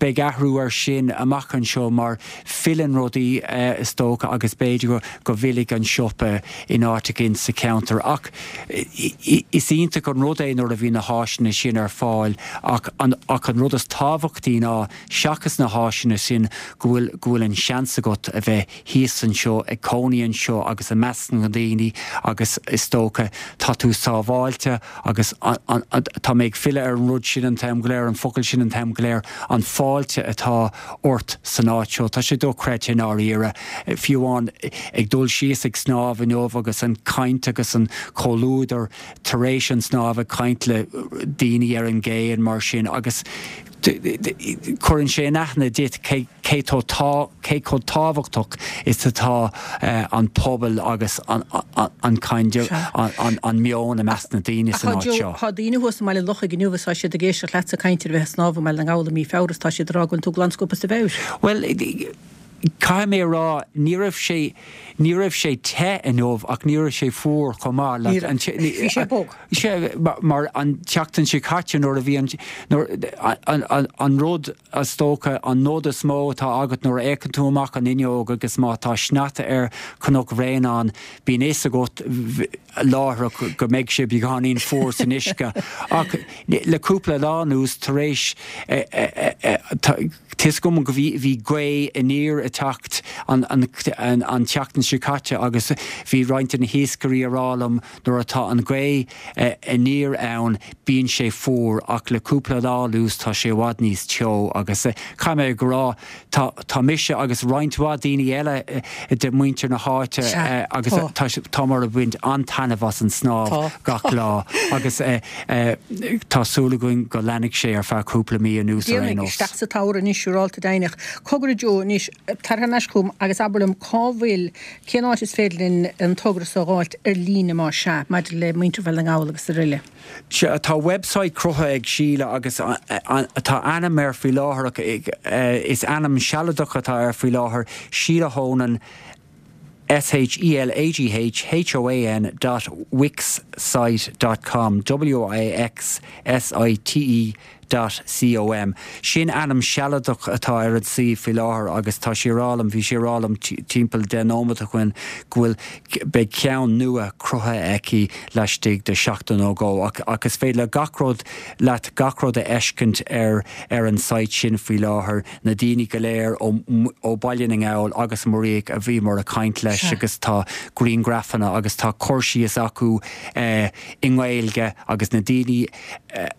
beidh athrú air sin amach anseo mar filleann rudaí, is dócha, agus b'fhéidir go bhfillfidh an siopa in áit éigin sa cheantar. Ach is iontach an rud é nuair a bhíonn na háiseanna sin ar fáil ach an ach an rud is tábhachtaí ná, seachas na háiseanna sin, go bhfuil go bhfuil an seans agat a bheith thíos anseo, ag cónaí anseo agus i measc na ndaoine agus is dócha tá tú sábháilte agus an an tá mé ag filleadh ar an rud sin an t-am go léir, an focal sin an t-am go léir, an fáilte atá ort san áit seo. Tá sé dochreidte i ndáiríre. Fiú amháin ag dul síos ag snámh inniu agus an chaint agus an comhluadar tar éis an snámh ag caint le daoine ar an gcé and mar sin agus Cuireann sé in aithne duit cé cé cé chomh tábhachtach is atá an pobal agus an kind an meon i measc na daoine san áit seo. Tá daoine thuas i mBaile Lochaigh inniu is tá siad ag éisteacht leatsa ag caint ar bheith ag snámh i mBaile na nGall i mí Feabhra is tá siad ag rá go bhfuil tú glansciobtha as do mheabhair. Bhuel, caithfidh mé a rá, ní raibh sé, ní raibh sé te inniu ach ní raibh sé fuar chomh maith. Ní raibh. Bhí sé bog. Sea, mar an tseachtain seo caite nuair a bhí an, nuair, an rud is dócha, an nod is mó atá agat nuair a fhéachann tú amach an fhuinneog agus má tá sneachta ar Chnoc Bhréanainn, bíonn fhios agat láithreach go mbeidh sé beagáinín fuar san uisce. Ach le cúpla lá anuas, tar éis, tá fhios agam go bhí, bhí gaoth aniar ag teacht an, an, an tseachtain seo caite agus bhí roinnt de na hiascairí a rá liom nuair atá an ghaoth aniar ann bíonn sé fuar ach le cúpla lá anuas tá sé i bhfad níos teo agus caithfidh mé a rá tá, tá mise agus roinnt mhaith daoine eile de mhuintir na háite agus tá, táimid ag baint an-taitneamh as an snámh gach lá agus tá súil againn go leanfaidh sé ar feadh cúpla mí anuas ar aon nós. Isteach sa tsamhradh anois, siúrálta deimhneach. Cogar a Joe, anois, tar thar n-ais chugam agus abair liom cá bhfuil, cén áit is féidir linn an togra so a dh'fháilt ar líne más ea, maidir le muintir Bhaile na nGall agus araile. Sea, tá website cruthaithe ag Síle agus tá ainm air faoi láthair ach is ainm sealadach atá air faoi láthair, Sheelagh Honan, S H E L A G H H O A N dot wixsite dot com, W I X S I T E dot com. Sin ainm sealadach atá ar an suíomh faoi láthair agus tá sí a rá liom, bhí sí a rá liom timpeall deich nóiméad ó shin go bhfuil, beidh ceann nua cruthaithe aici laistigh de sheachtain nó dhó ach ach is féidir le gach rud, leat gach rud a fheiscint ar ar an site sin faoi láthair, na daoine go léir ó ó Baile na nGall agus Muiríoch a bhíomar ag caint leis agus tá grianghrafanna agus tá cur síos acu i nGaeilge agus na daoine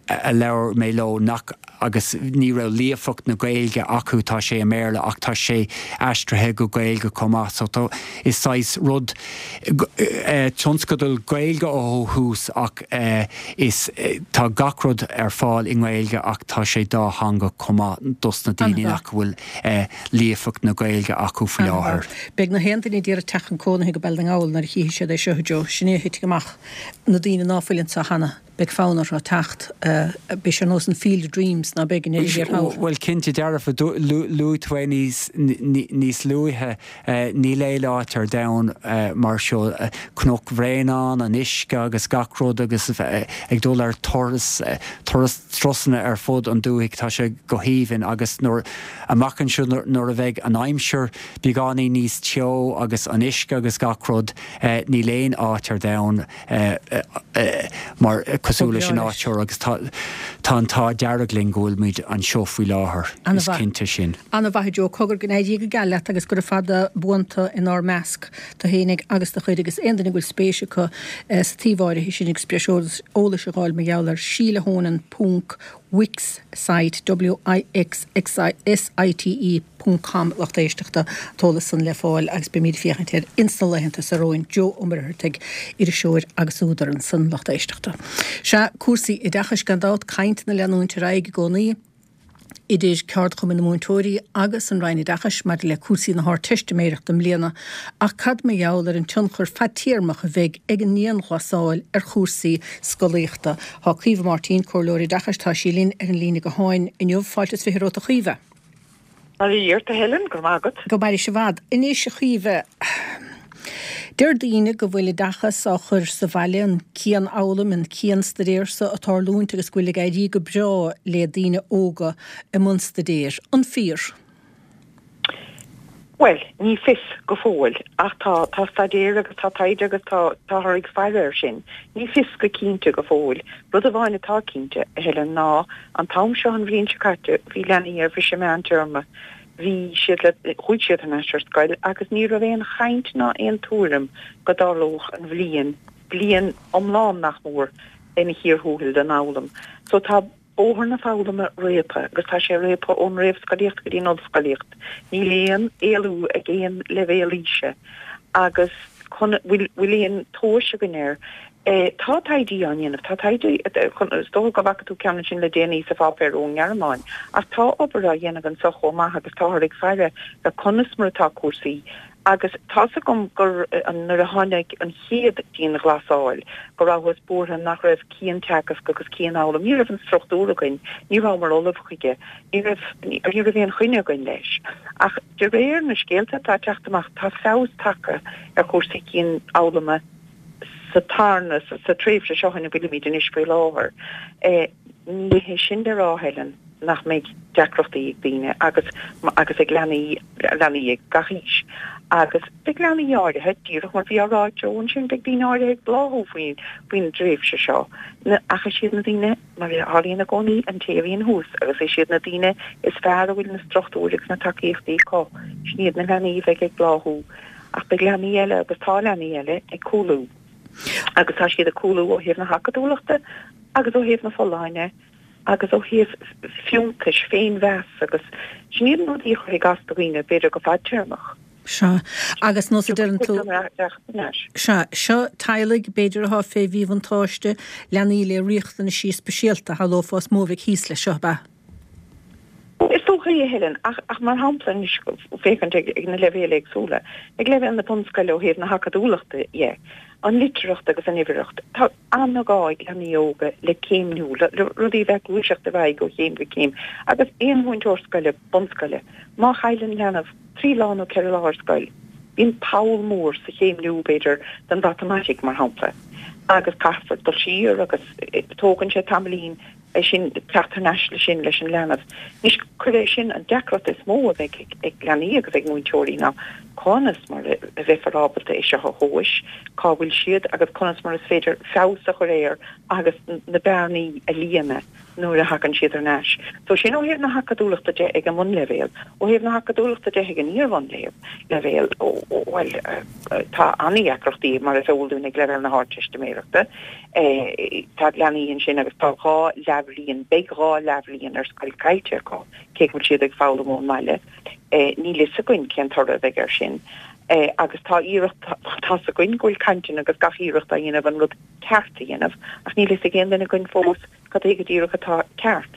a labhair mé leo nach agus ní raibh líofacht na Gaeilge acu, tá sé i mBéarla ach tá sé aistrithe go Gaeilge chomh maith so tá, is saghas rud, tionscadal Gaeilge ó thús ach is, tá gach rud ar fáil i nGaeilge ach tá sé dátheangach chomh maith dos na daoine nach bhfuil líofacht na Gaeilge acu faoi láthair. Beidh na haon duine ag iarraidh teacht chun cónaithe go Baile na nGall nuair a chífidh siad é seo, a Joe, sin é a thitfidh amach, na daoine ná fuil anseo cheana. Beidh fonn orthu teacht. Beidh sé ar nós an Field of Dreams, ná beidh, i ndeireadh thiar thall. Bhuel, cinnte dearfa, luaigh tú é níos luaithe, níl aon áit ar domhan mar seo. Cnoc Bhréanainn, an uisce agus gach rud agus ag dul ar turas, turas, turasanna ar fud an dúthaigh, tá sé go haoibhinn agus nuair, amach anseo nuair a bheidh an aimsir beagáinín níos teo agus an uisce agus gach rud, níl aon áit ar domhan mar cosúil leis an áit seo agus tá an t-ádh dearg linn go bhfuilimid anseo faoi láthair, is cinnte sin. Ana-mhaith a Joe, cogar go n-éirí go geal leat agus gura fada buan tú inár measc, tú fhéinig agus do chuid agus aon duine go bhfuil spéis acu sa tsuíomh áirithe sin agus breis eolais a dh'fháil mar gheall air, Sheila Honan ponc Wixsite, W I X S I T E, ponc com lucht éisteachta, an t-eolas san le fáil agus beimid ag féachaint air ins na laethanta seo romhainn. Joe Ó Muircheartaigh, iriseoir agus údar ansan, lucht éisteachta. Sea, cúrsaí oideachais gan dabht, cainteanna ag leanúint ar aghaidh i gcónaí idir Ceardchumann na Múinteoirí agus an Roinn Oideachais maidir le cúrsaí na hArdteistiméireachta i mbliana, ach cad mar gheall ar an tionchar fadtéarmach a bheidh ag an ndianghlasáil ar chúrsaí scolaíochta? Tá Caoimhe Máirtín, Comhairleoir Oideachais, tá sí linn ar an líne gutháin inniu. Fáilte is fiche romhat a Chaoimhe. Bail ó Dhia ort a Helen, go raibh maith agat. Go mairis i bhfad. Anois a Chaoimhe, deir daoine go bhfuil oideachas á chur sa bhaile, an cianfhoghlaim, an cianstaidéar so ag tarlúint agus go bhfuil ag éirí go breá le daoine óga i mbun staidéir. An fíor? Bhuel, ní fios go fóill, ach tá, tá staidéar agus tá taighde agus tá, táthar ag faire air sin. Ní fios go cinnte go fóill. Rud amháin atá cinnte, a Helen, ná an t-am seo an bhliain seo caite bhí leanaí ar bhriseadh meántéarma, bhí siad le, chuaigh siad thar n-ais ar scoil agus ní raibh aon chaint ná aon tuairim go dtarlódh an bhliain, bliain iomlán nach mór, ina chíor thuathail den fhoghlaim. So tá. Bóthar na foghlama réabtha agus tá sé réabtha ón réamhscolaíocht go dtí an ollscolaíocht. Níl aon éalú ag aon leibhéal aoise agus bhfuil, bhfuil aon tomhas againn air? Tá taighde á dhéanamh, tá taighde, is dócha go bhfaca tú ceann ansin le déanaí sa pháipéar ón nGearmáin, ach tá obair á dhéanamh anseo chomh maith agus táthar ag faire ar conas mar atá cúrsaí agus tá's agam gur nuair a tháinig an chéad dianghlasáil go rabhthas buartha nach raibh cianteagasc agus cianfhoghlaim, ní raibh an struchtúr againn, ní rabhamar ullamh chuige, ní raibh ní raibh aon choinne againn leis. Ach de réir na scéalta atá ag teacht amach tá feabhas tagtha ar chúrsaí cianfhoghlama sa tarna, sa tréimhse seo ina bhfuilimid anois faoi láthair. Ní hé sin le rá, Helen, nach mbeidh deacrachtaí ag daoine agus agus ag leanaí, leanaí ag gach aois. Agus beidh leanaí áirithe, díreach mar bhí á rá ag Joe ansin, beidh daoine áirithe ag bláthú faoin, faoin dtréimhse seo. Ach is iad na daoine, mar a tharlaíonn i gcónaí, an té a bhíonn thuas agus is iad na daoine is fearr a bhfuil na struchtúir agus na tacaíochtaí acu, sin iad na leanaí a bheidh ag bláthú. Ach beidh leanaí eile, agus tá leanaí eile, ag cúlú. Agus tá siad ag cúlú ó thaobh na hacadúlachta agus ó thaobh na folláine agus ó thaobh fiúntais, féinmheas agus sin iad na rudaí a chuirfidh as do dhaoine, b'fhéidir go fadtéarmach. Sea. Agus nós a deireann tú. Sea. Seo teaghlaigh, b'fhéidir, atá fé mhíbhuntáiste, leanaí le riachtanaisí speisialta, shamhlófá is mó a bheidh thíos leis seo, ab ea? Is dócha é, a Helen, ach, ach mar shampla anois, féachaint ag, ag na leibhéil éagsúla, ag leibhéal na bunscoile ó thaobh na hacadúlachta dhe, an litearthacht agus an uimhearthacht, tá an-ghá ag leanaí óga le céimniú, le, le rudaí a bheith ag gluaiseacht ar aghaidh ó chéim go céim. Agus aon mhúinteoir scoile, bunscoile, má chailleann leanbh trí lá nó ceithre lá ar scoil, bíonn poll mór sa chéimniú, b'fhéidir, don mhatamaitic, mar shampla, agus caithfear dul siar agus tógann sé tamaillín é sin, teacht thar n-ais leis sin leis an leanbh. Anois, cuir é sin, an deacracht is mó a bheidh ag leanaí agus ag múinteoirí ná conas mar a bheifear ábalta é seo a thomhais, cá bhfuil siad agus conas mar is féidir feabhas a chur air agus na bearnaí a líonadh nuair a thagann siad thar n-ais. So sin ó thaobh na hacadúlachta de ag an mbunleibhéal. Ó thaobh na hacadúlachta de ag an iar-bhunleibhéal, bhuel, tá an-deacrachtaí mar is eol dúinn ag leibhéal na hArdteistiméireachta. Tá leanaí ansin agus tá dhá leathbhliain, beidh dhá leathbhliain ar scoil caillte acu, cé go bhfuil siad ag foghlaim ón mbaile. Níl fhios againn cén toradh a bheidh air sin. Agus tá iarracht, tá's againn go bhfuil cainteanna agus gach iarracht á dhéanamh an rud ceart a dhéanamh, ach níl fhios ag aon duine againn fós cad é go díreach atá ceart.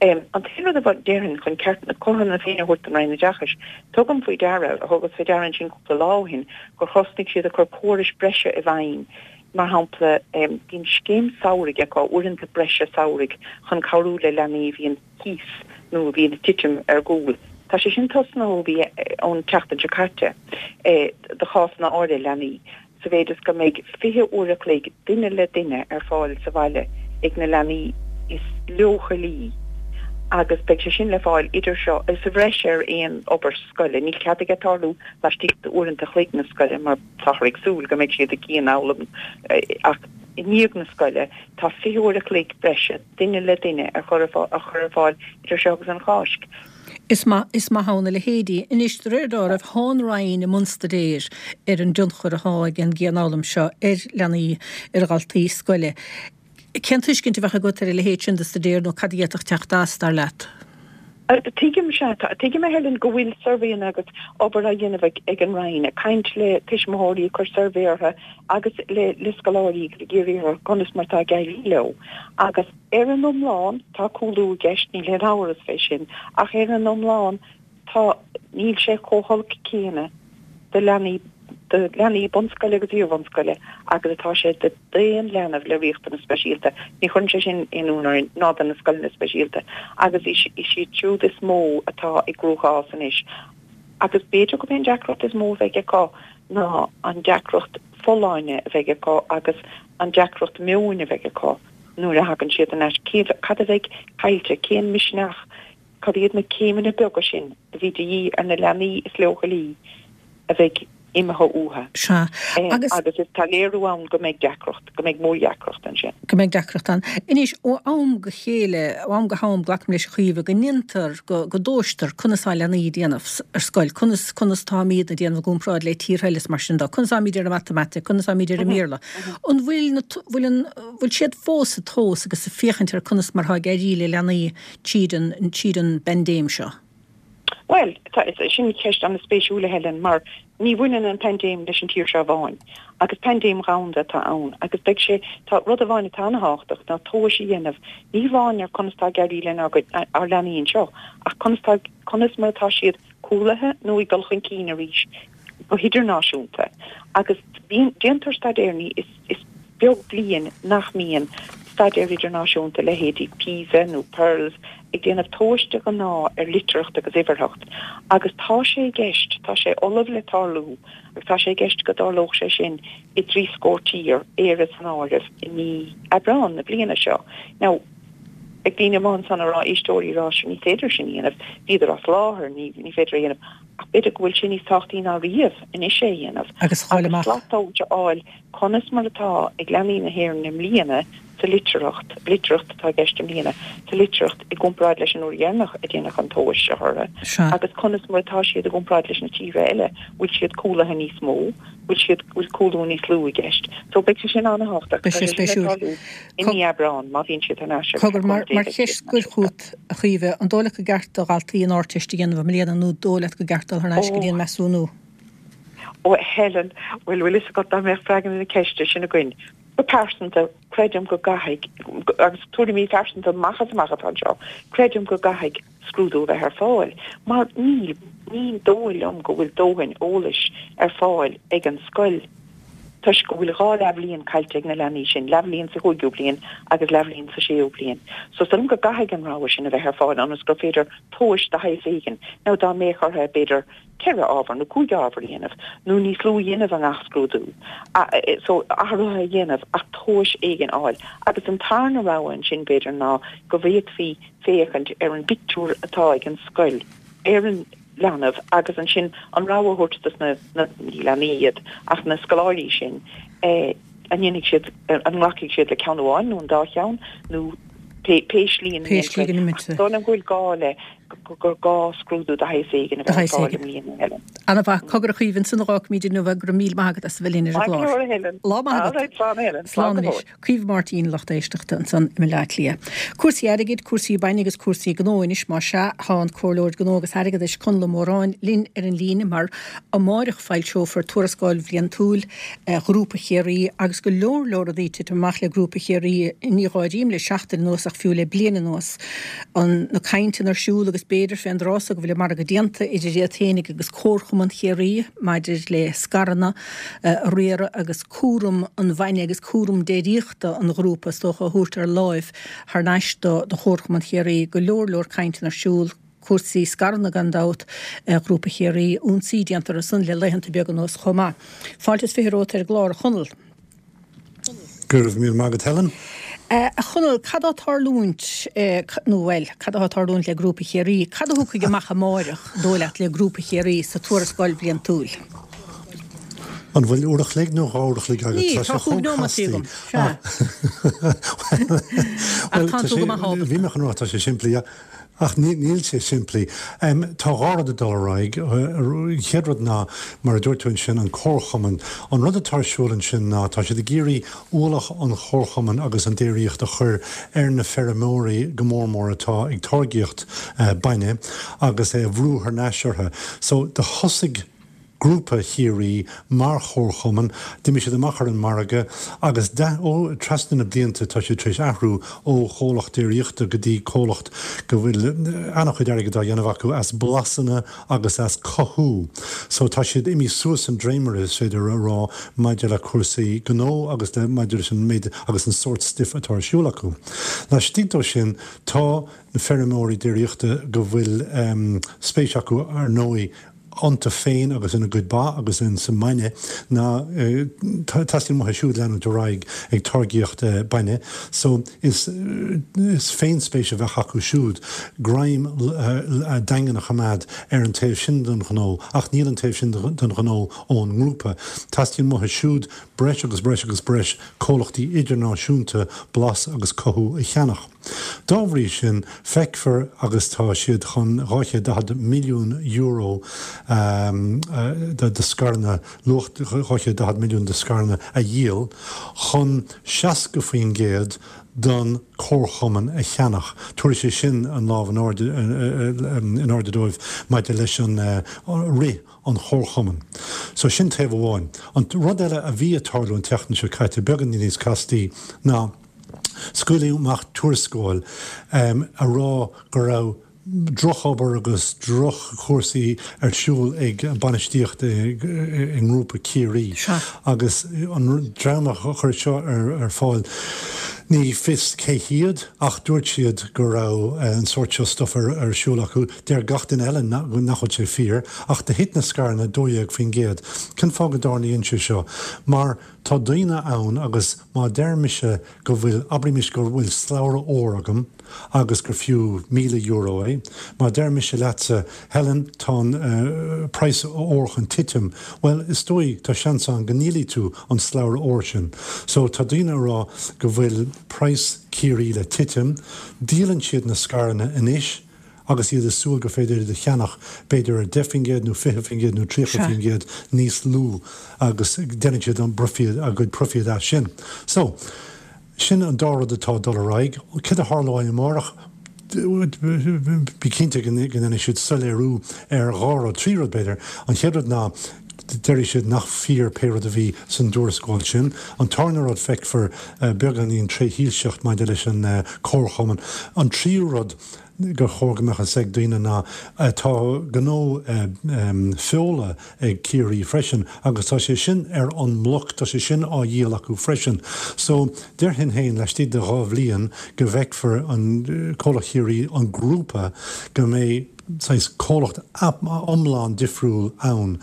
An t-aon rud a déarfainn chun ceart, cothrom na Féinne a thabhairt don Roinn Oideachais, tugaim faoi deara, thugas faoi deara ansin cúpla lá ó shin, gur thosnaigh siad ag cur córais breise i bhfeidhm Mar shampla, bíonn scéim samhraidh acu, uaireanta breise samhraidh chun cabhrú le leanaí a bhíonn thíos nó a bhíonn ag titim ar gcúl. Tá sé sin tosnaithe ó bhí ón tseachtain seo caite do chásanna áirithe leanaí, sa mhéid is go mbeidh fiche uair a chloig duine le duine ar fáil sa bhaile ag na leanaí is leochailí agus beidh sé sin le fáil idir seo, sa bhreis ar aon obair scoile. Níl cead aige tarlú laistigh d'uaireanta a chloig na scoile mar. Táthar ag súil go mbeidh siad ag cianfhoghlaim ach i ndiaidh na scoile tá fiche uair a chloig breise duine le duine á chur ar fáil idir seo agus an Cháisc. Is maith, is maith ann a leithéidí. Anois, de réir dealraimh, thá an Roinn i mbun staidéir ar an dtionchar athá ag an gcianfhoghlaim seo ar leanaí, ar dhaltaí scoile. Cén tuiscint a bheadh agat ar a leithéid sin de staidéar nó cad a d'fhéadfadh teacht as, dar leat? Tuigim, sea. Tuigim, a Helen, go bhfuil suirbhéanna agus obair á dhéanamh ag an Roinn, ag caint le tuismitheoirí, ag cur suirbhé orthu agus le scoláirí agus ag iarraidh orthu conas mar atá ag éirí leo. Agus ar an iomlán, tá cúlú i gceist, níl aon amhras fé sin, ach ar an iomlán, Tá, níl sé chomh holc céanna do leanaí, do leanaí bunscoile agus iarbhunscoile agus atá sé do d'aon leanbh le riachtanas speisialta. Ní chuireann sé sin aon ionadh orainn, ná do na scoileanna speisialta, agus is iad siúd is mó atá i gcruachás anois. Agus b'fhéidir gurb é an deacracht is mó a bheidh acu ná an deacracht folláine a bheidh acu agus an deacracht meoin a bheidh acu nuair a thagann siad thar n-ais. Cad a bheidh caillte? Cén misneach? Cad iad na céimeanna beaga sin a bhí de dhíth ar na leanaí is leochailí a bheidh imithe uathu? Sea, agus. Agus is tá léiriú ann go mbeidh deacracht, go mbeidh mórdheacracht ansin. Go mbeidh deacracht ann. Anois, ó am go chéile, ó am go ham, glacaim leis, a Chaoimhe, go ndéantar, go, go dtomhaistear conas tá leanaí ag déanamh ar scoil, conas, conas táimid ag déanamh i gcomparáid le tíortha eile is mar sin de, conas táimid ar an matamaitic, conas táimid ar an mBéarla. An bhfuil na, bhfuil an, bhfuil siad fós ag tomhas agus ag féachaint ar conas mar atá ag éirí le leanaí tríd an, tríd an bpaindéim seo? Bhuel, tá, sin ceist an-spéisiúil a Helen, mar ní bhaineann an paindéim leis an tír seo amháin, agus paindéim dhomhanda atá ann, agus beidh sé, tá rud amháin atá an-thábhachtach ná tomhais a dhéanamh, ní amháin ar conas tá ag éirí lenár gcuid, ár leanaí anseo, ach conas tá, conas mar atá siad cúlaithe nó ag dul chun cinn arís go hidirnáisiúnta. Agus bíonn, déantar staidéar, ní, is, is beag bliain nach mbíonn staidéar idirnáisiúnta, leithéidí PISA nó PIRLS, ag déanamh tomhais de ghnáth ar litearthacht agus uimhearthacht agus tá sé i gceist, tá sé ullamh le tarlú agus tá sé i gceist go dtarlódh sé sin i dtrí scór tír, Éire san áireamh, i mí Aibreán na bliana seo. Now, beidh daoine amuigh ansan a rá, éisteoirí a rá, ní féidir sin a dhéanamh, bhíodar as láthair, ní ní féidir é a dhéanamh. Ach b'fhéidir go bhfuil sé níos tábhachtaí ná riamh anois é a dhéanamh Agus a fháil agus amach. slat tomhais a fháil conas mar atá ag leanaí na hÉireann i mbliana sa litearthacht, litearthacht atá i gceist i mbliana, sa litearthacht i gcomparáid leis an uair dheireanach a déanadh an tomhas seo orthu Sea. agus conas mar atá siad i gcomparáid leis na tíortha eile, bhfuil siad cúlaithe níos mó, bhfuil siad, bhfuil cúlú níos lú i gceist. So beidh sé sin an-thábhachtach. Beidh Tá sé sé sin le spéisiúil. tarlú i mí Aibreán má bhíonn siad thar n-ais agus Cogar, le mar, cúnamh Dé mar beidh siad cheist thar n-ais scoir go chugat, a Chaoimhe, an dóigh leat gur ceart do dhaltaí an Ardteist a dhéanamh i mbliana nó dóigh leat gur ceart dul thar n-ais go dtí Ó, an measúnú? ó a Helen, bhuel, bhfuil fhios agat dá mbeadh freagra na ceiste sin againn. Go pearsanta, creidim go gcaithfidh, agus tuairimí phearsanta amach is amach atá anseo, creidim go gcaithfidh scrúdú a bheith ar fáil, mar níl, ní dóigh liom go bhfuil dóthain eolais ar fáil ag an scoil toisc go bhfuil dhá leathbhliain caillte ag na leanaí sin, leathbhliain sa chúigiú bliain agus leathbhliain sa séú bliain. So is dóigh liom go gcaithfidh an rogha sin a bheith ar fáil ionas gur féidir tomhais de shaghas éigin, nó dá mbeadh orthu b'fhéidir ceithre ábhar nó cúig ábhar a dhéanamh, nó níos lú a dhéanamh i ngach scrúdú, so athruithe a dhéanamh ach tomhais éigin a fháil. Agus an tarna rogha ansin b'fhéidir ná go bhféadfaí féachaint ar an bpictiúr atá ag an scoil ar an leanbh agus ansin an rogha a thabhairt dos na, na, ní leanaí iad, ach na scoláirí sin, an ndéanfaidh siad, an nglacfaidh siad le ceann amháin nó an dá cheann nó pé, pé slí ina Pé slí ndéanfar go é. Ach n-imítear. is dóigh liom go bhfuil gá le, gur gá scrúdú de shaghas éigin a De bheith ar shaghas fáil i éigin. mbliana, Helen. Ana-mhaith. Cogar a Chaoimhe, ansin a dh'fhágfaimid inniu go raibh míle maith agat as a bheith linn ar an Maith go gclár. leor, a Helen. Lá maith All agat. right, slán, a Helen. Slán Slán go anois. fóill. Caoimhe Máirtín, lucht éisteachta ansan i mBaile Átha Cliath. Cúrsaí airgid, cúrsaí bainne agus cúrsaí gnó anois más ea, tá an Comhairleoir Gnó agus Airgeadais Conall Ó Móráin linn ar an líne mar amáireach foilseofar tuarascáil bhliantúil Ghrúpa Chiarraí agus go leor leor rudaí ag titim amach le Grúpa Chiarraí ní áirím le seachtain anuas ach fiú le bliain anuas. An na cainteanna ar siúl agus b'fhéidir fén dtráth so go bhfuil an margadh déanta idir iad féinig agus Comharchumann Chiarraí maidir le scaireanna a riaradh agus cúram an bhainne agus cúram déiríochta an ghrúpa is dócha a thabhairt ar láimh thar n-ais do do Chomharchumann Chiarraí. Go leor leor cainteanna ar siúl, cúrsaí scaireanna gan dabht, Ghrúpa Chiarraí, ionsaí déanta orthu san le laethanta beaga anuas chomh maith. Fáilte is fiche romhat ar an gclár, a Chonaill. Go raibh míle maith agat Helen. A Chonaill, cad á tarlúint, nó bhuel, cad atá tarlúint le Grúpa Chiarraí? Cad a thiocfaidh amach amáireach, dóigh leat, le Grúpa Chiarraí sa tuarascáil bhliantúil? An bhfuil uair a chloig nó dhá uair a chloig agat? Ní, Tá tá sé cúig chomh nóiméad castaí. agam. Sea. Ach Bhuel, tá tá tú sé, go maith ábalta. bhí mé chun rá tá sé simplí, ach ní, níl sé simplí. Tá dhá rud ag dul ar aghaidh. An chéad rud ná, mar a dúirt tú ansin, an comharchumann. An rud atá ar siúl ansin ná tá siad ag iarraidh ualach an chomharchumainn agus an déiríocht a chur ar na feirmeoirí go mór mór atá ag táirgíocht bainne agus é a bhrú thar n-ais orthu. So do thosaigh Grúpa Chiarraí mar chomharchumann, d'imigh siad amach ar an margadh agus ó trasna na blianta tá siad tar éis athrú ó chomhlacht déiríochta go dtí comhlacht go bhfuil an-chuid airgid á dhéanamh acu as blasanna agus as cothú. So tá siad imithe suas an dréimire is féidir a rá maidir le cúrsaí gnó agus le maidir leis an méid agus an sórt stuif atá ar siúl acu. Laistigh dó sin tá na feirmeoirí déiríochta go bhfuil spéis acu ar ndóigh iontu féin agus ina gcuid ba agus in sa mbainne ná teastaíonn uathu siúd leanúint ar aghaidh ag táirgíocht bainne so is is féinspéis a bheadh acu siúd greim daingean a choimeád ar an taobh sin den ghnó ach níl an taobh sin den ghnó ón ngrúpa. Teastaíonn uathu siúd breis agus breis agus breis comhlachtaí idirnáisiúnta blas agus cothú a cheannach. Dá bhrí sin, feicfear agus tá siad chun dhá chéad daichead milliún euro de scaireanna, luach dhá chéad daichead milliún de scaireanna a dhíol chun seasca faoin gcéad den chomharchumann a cheannach. Tabharfaidh sé sin an lámh in airde in airde dóibh maidir leis an rith an chomharchumainn. So sin taobh amháin. An rud eile a bhí ag tarlú an tseachtain seo caite, beagán níos castaí, ná scaoileadh amach tuarascáil a rá go raibh drochobair agus droch-chúrsaí ar siúl ag bainistíocht i nGrúpa Chiarraí agus an dream a chuir seo ar fáil, ní fios cé hiad ach dúirt siad go raibh an sórt seo stuif ar siúl acu. Deir gach duine eile nach bhfuil sé fíor ach do thit na scaireanna dó dhéag faoin gcéad. Cén fáth go dtarlaíonn sé seo? Mar tá daoine ann agus má deir mise go bhfuil, abraimis go bhfuil slabhra óir agam agus gur fiú míle euro é, má deir mise leatsa, Helen, tá an praghas óir chun titim, bhuel, is dóigh, tá seans ann go ndíolfaidh tú an slabhra óir sin. So, tá daoine ag rá go bhfuil praghas Chiarraí le titim, díolann siad na scaireanna anois, agus iad ag súil gur féidir iad a cheannach b'fhéidir ar deich faoin gcéad nó fiche faoin gcéad nó tríocha faoin gcéad níos lú agus déanann siad an proifíd, a gcuid proifíd as sin. So, sin an dá rud atá ag dul ar aghaidh. Céard a tharlóidh amárach? Bí cinnte go ndéanfaidh siad soiléiriú ar dhá rud, trí rud b'fhéidir. An chéad rud ná, déarfaidh siad nach fíor pé rud a bhí san dtuarascáil sin. An tarna rud, feicfear beagáinín tréshoilseacht maidir leis an comharchumann. An tríú rud gur chóir go mbeadh fhios ag daoine ná tá gnó feola ag Ciarraí freisin agus tá sé sin ar an mbloc, tá sé sin á dhíol acu freisin. So, déarfainn féin laistigh de dhá bhliain go bhfeicfear an comhlacht Chiarraí, an grúpa, go mbeidh saghas comhlacht iomlán difriúil ann.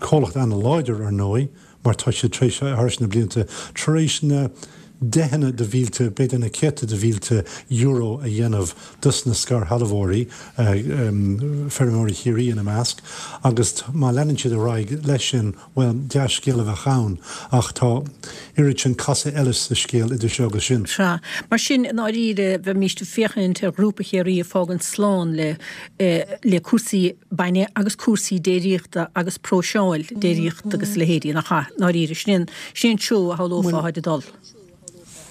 Comhlacht ana-láidir, ar ndóigh, mar tá siad tar éis, thar na blianta, tar éis na deicheanna de mhílte, b'fhéidir na céadta de mhílte euro a dhéanamh dos na scairshealbhóirí, feirmeoirí Chiarraí ina measc, agus má leanann siad ar aghaidh leis sin, bhuel, dea-scéal a bheadh ann, ach tá oiread sin casadh eile sa scéal idir seo agus sin. Sea. Mar sin, i ndáiríre, bheimíst ag féachaint ar Ghrúpa Chiarraí ag fágaint slán le le cúrsaí bainne agus cúrsaí déiríochta agus próiseáil déiríochta agus a leithéidí, nach ea? I ndáiríre, sin sin an treo a shamhlófá atá ag dul.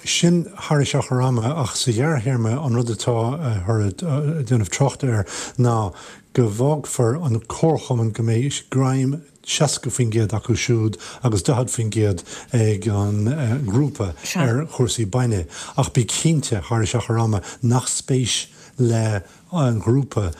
Sin thar achar ama, ach sa ghearrthéarma an rud atá ag déanamh tráchta air ná go bhfágfar an comharchumann go mbeidh greim seasca faoin gcéad acu siúd agus daichead faoin gcéad ag an ngrúpa ar chúrsaí bainne. Ach bí cinnte thar achar ama nach spéis le an ghrúpa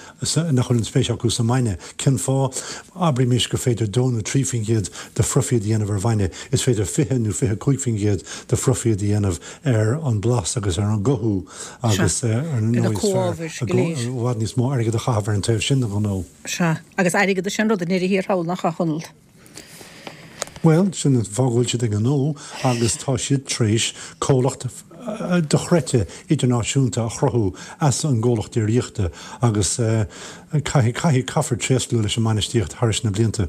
nach bhfuil an spéis acu sa mbainne. Cén fáth? Abraimis gur féidir dó nó trí faoin gcéad de phroifíd a dhéanamh ar bhainne. Is féidir fiche nó fiche cúig faoin gcéad de phroifíd a dhéanamh ar an bhlas agus ar an gcothú agus ar ndóigh is fearr i bhfad níos mó airgead a chaitheamh ar an taobh sin den ghnó. Sea, agus airgead is é an rud i ndeireadh thiar thall, nach ea, a Chonaill? Bhuel, sin an fáth go bhfuil siad ag an ngnó agus tá siad tar éis comhlacht dochreidte idirnáisiúnta a chruthú as an gcomhlacht déiríochta agus caithfidh, caithfidh, caithfear tréaslú leis an mbainistíocht thairis na blianta.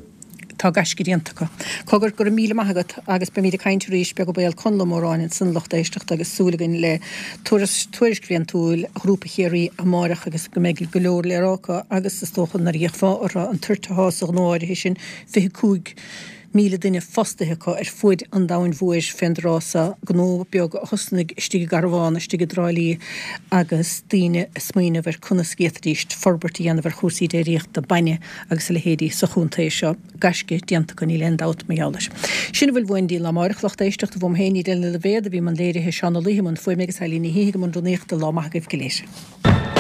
Tá gaisce déanta acu. Cogar, go raibh míle maith agat agus beimid ag caint arís, beag an baol. Conall Ó Móráin ansan, lucht éisteachta agus súil againn le tuairisc bhliantúil Ghrúpa Chiarraí amáireach agus go mbeidh go leor le rá acu agus is dócha nuair a d'fhéachfá orthu an toirt atá sa ghnó áirithe sin, fiche cúig míle duine fostaithe acu ar fuaid an domhain mhóir fén dtráth so, gnó beag a thosnaigh istigh i gcarbhán istigh i dTrá Lí agus daoine ag smaoineamh ar conas go bhféadfaidíst forbairt a dhéanamh ar chúrsaí déiríochta bainne agus a leithéidí sa chontae seo. Gaisce déanta acu, níl aon dabht mar gheall air. Sin a bhfuil uainn go dtí an lá amáireach, lucht éisteachta, uaim féin, Edel Ní Loibhéad, a bhí i mbun léirithe, Seán Ó Laoithe i mbun fuaime agus Eilín Ní hÍthigh i mbun rúnaíochta. Lá maith agaibh go léir.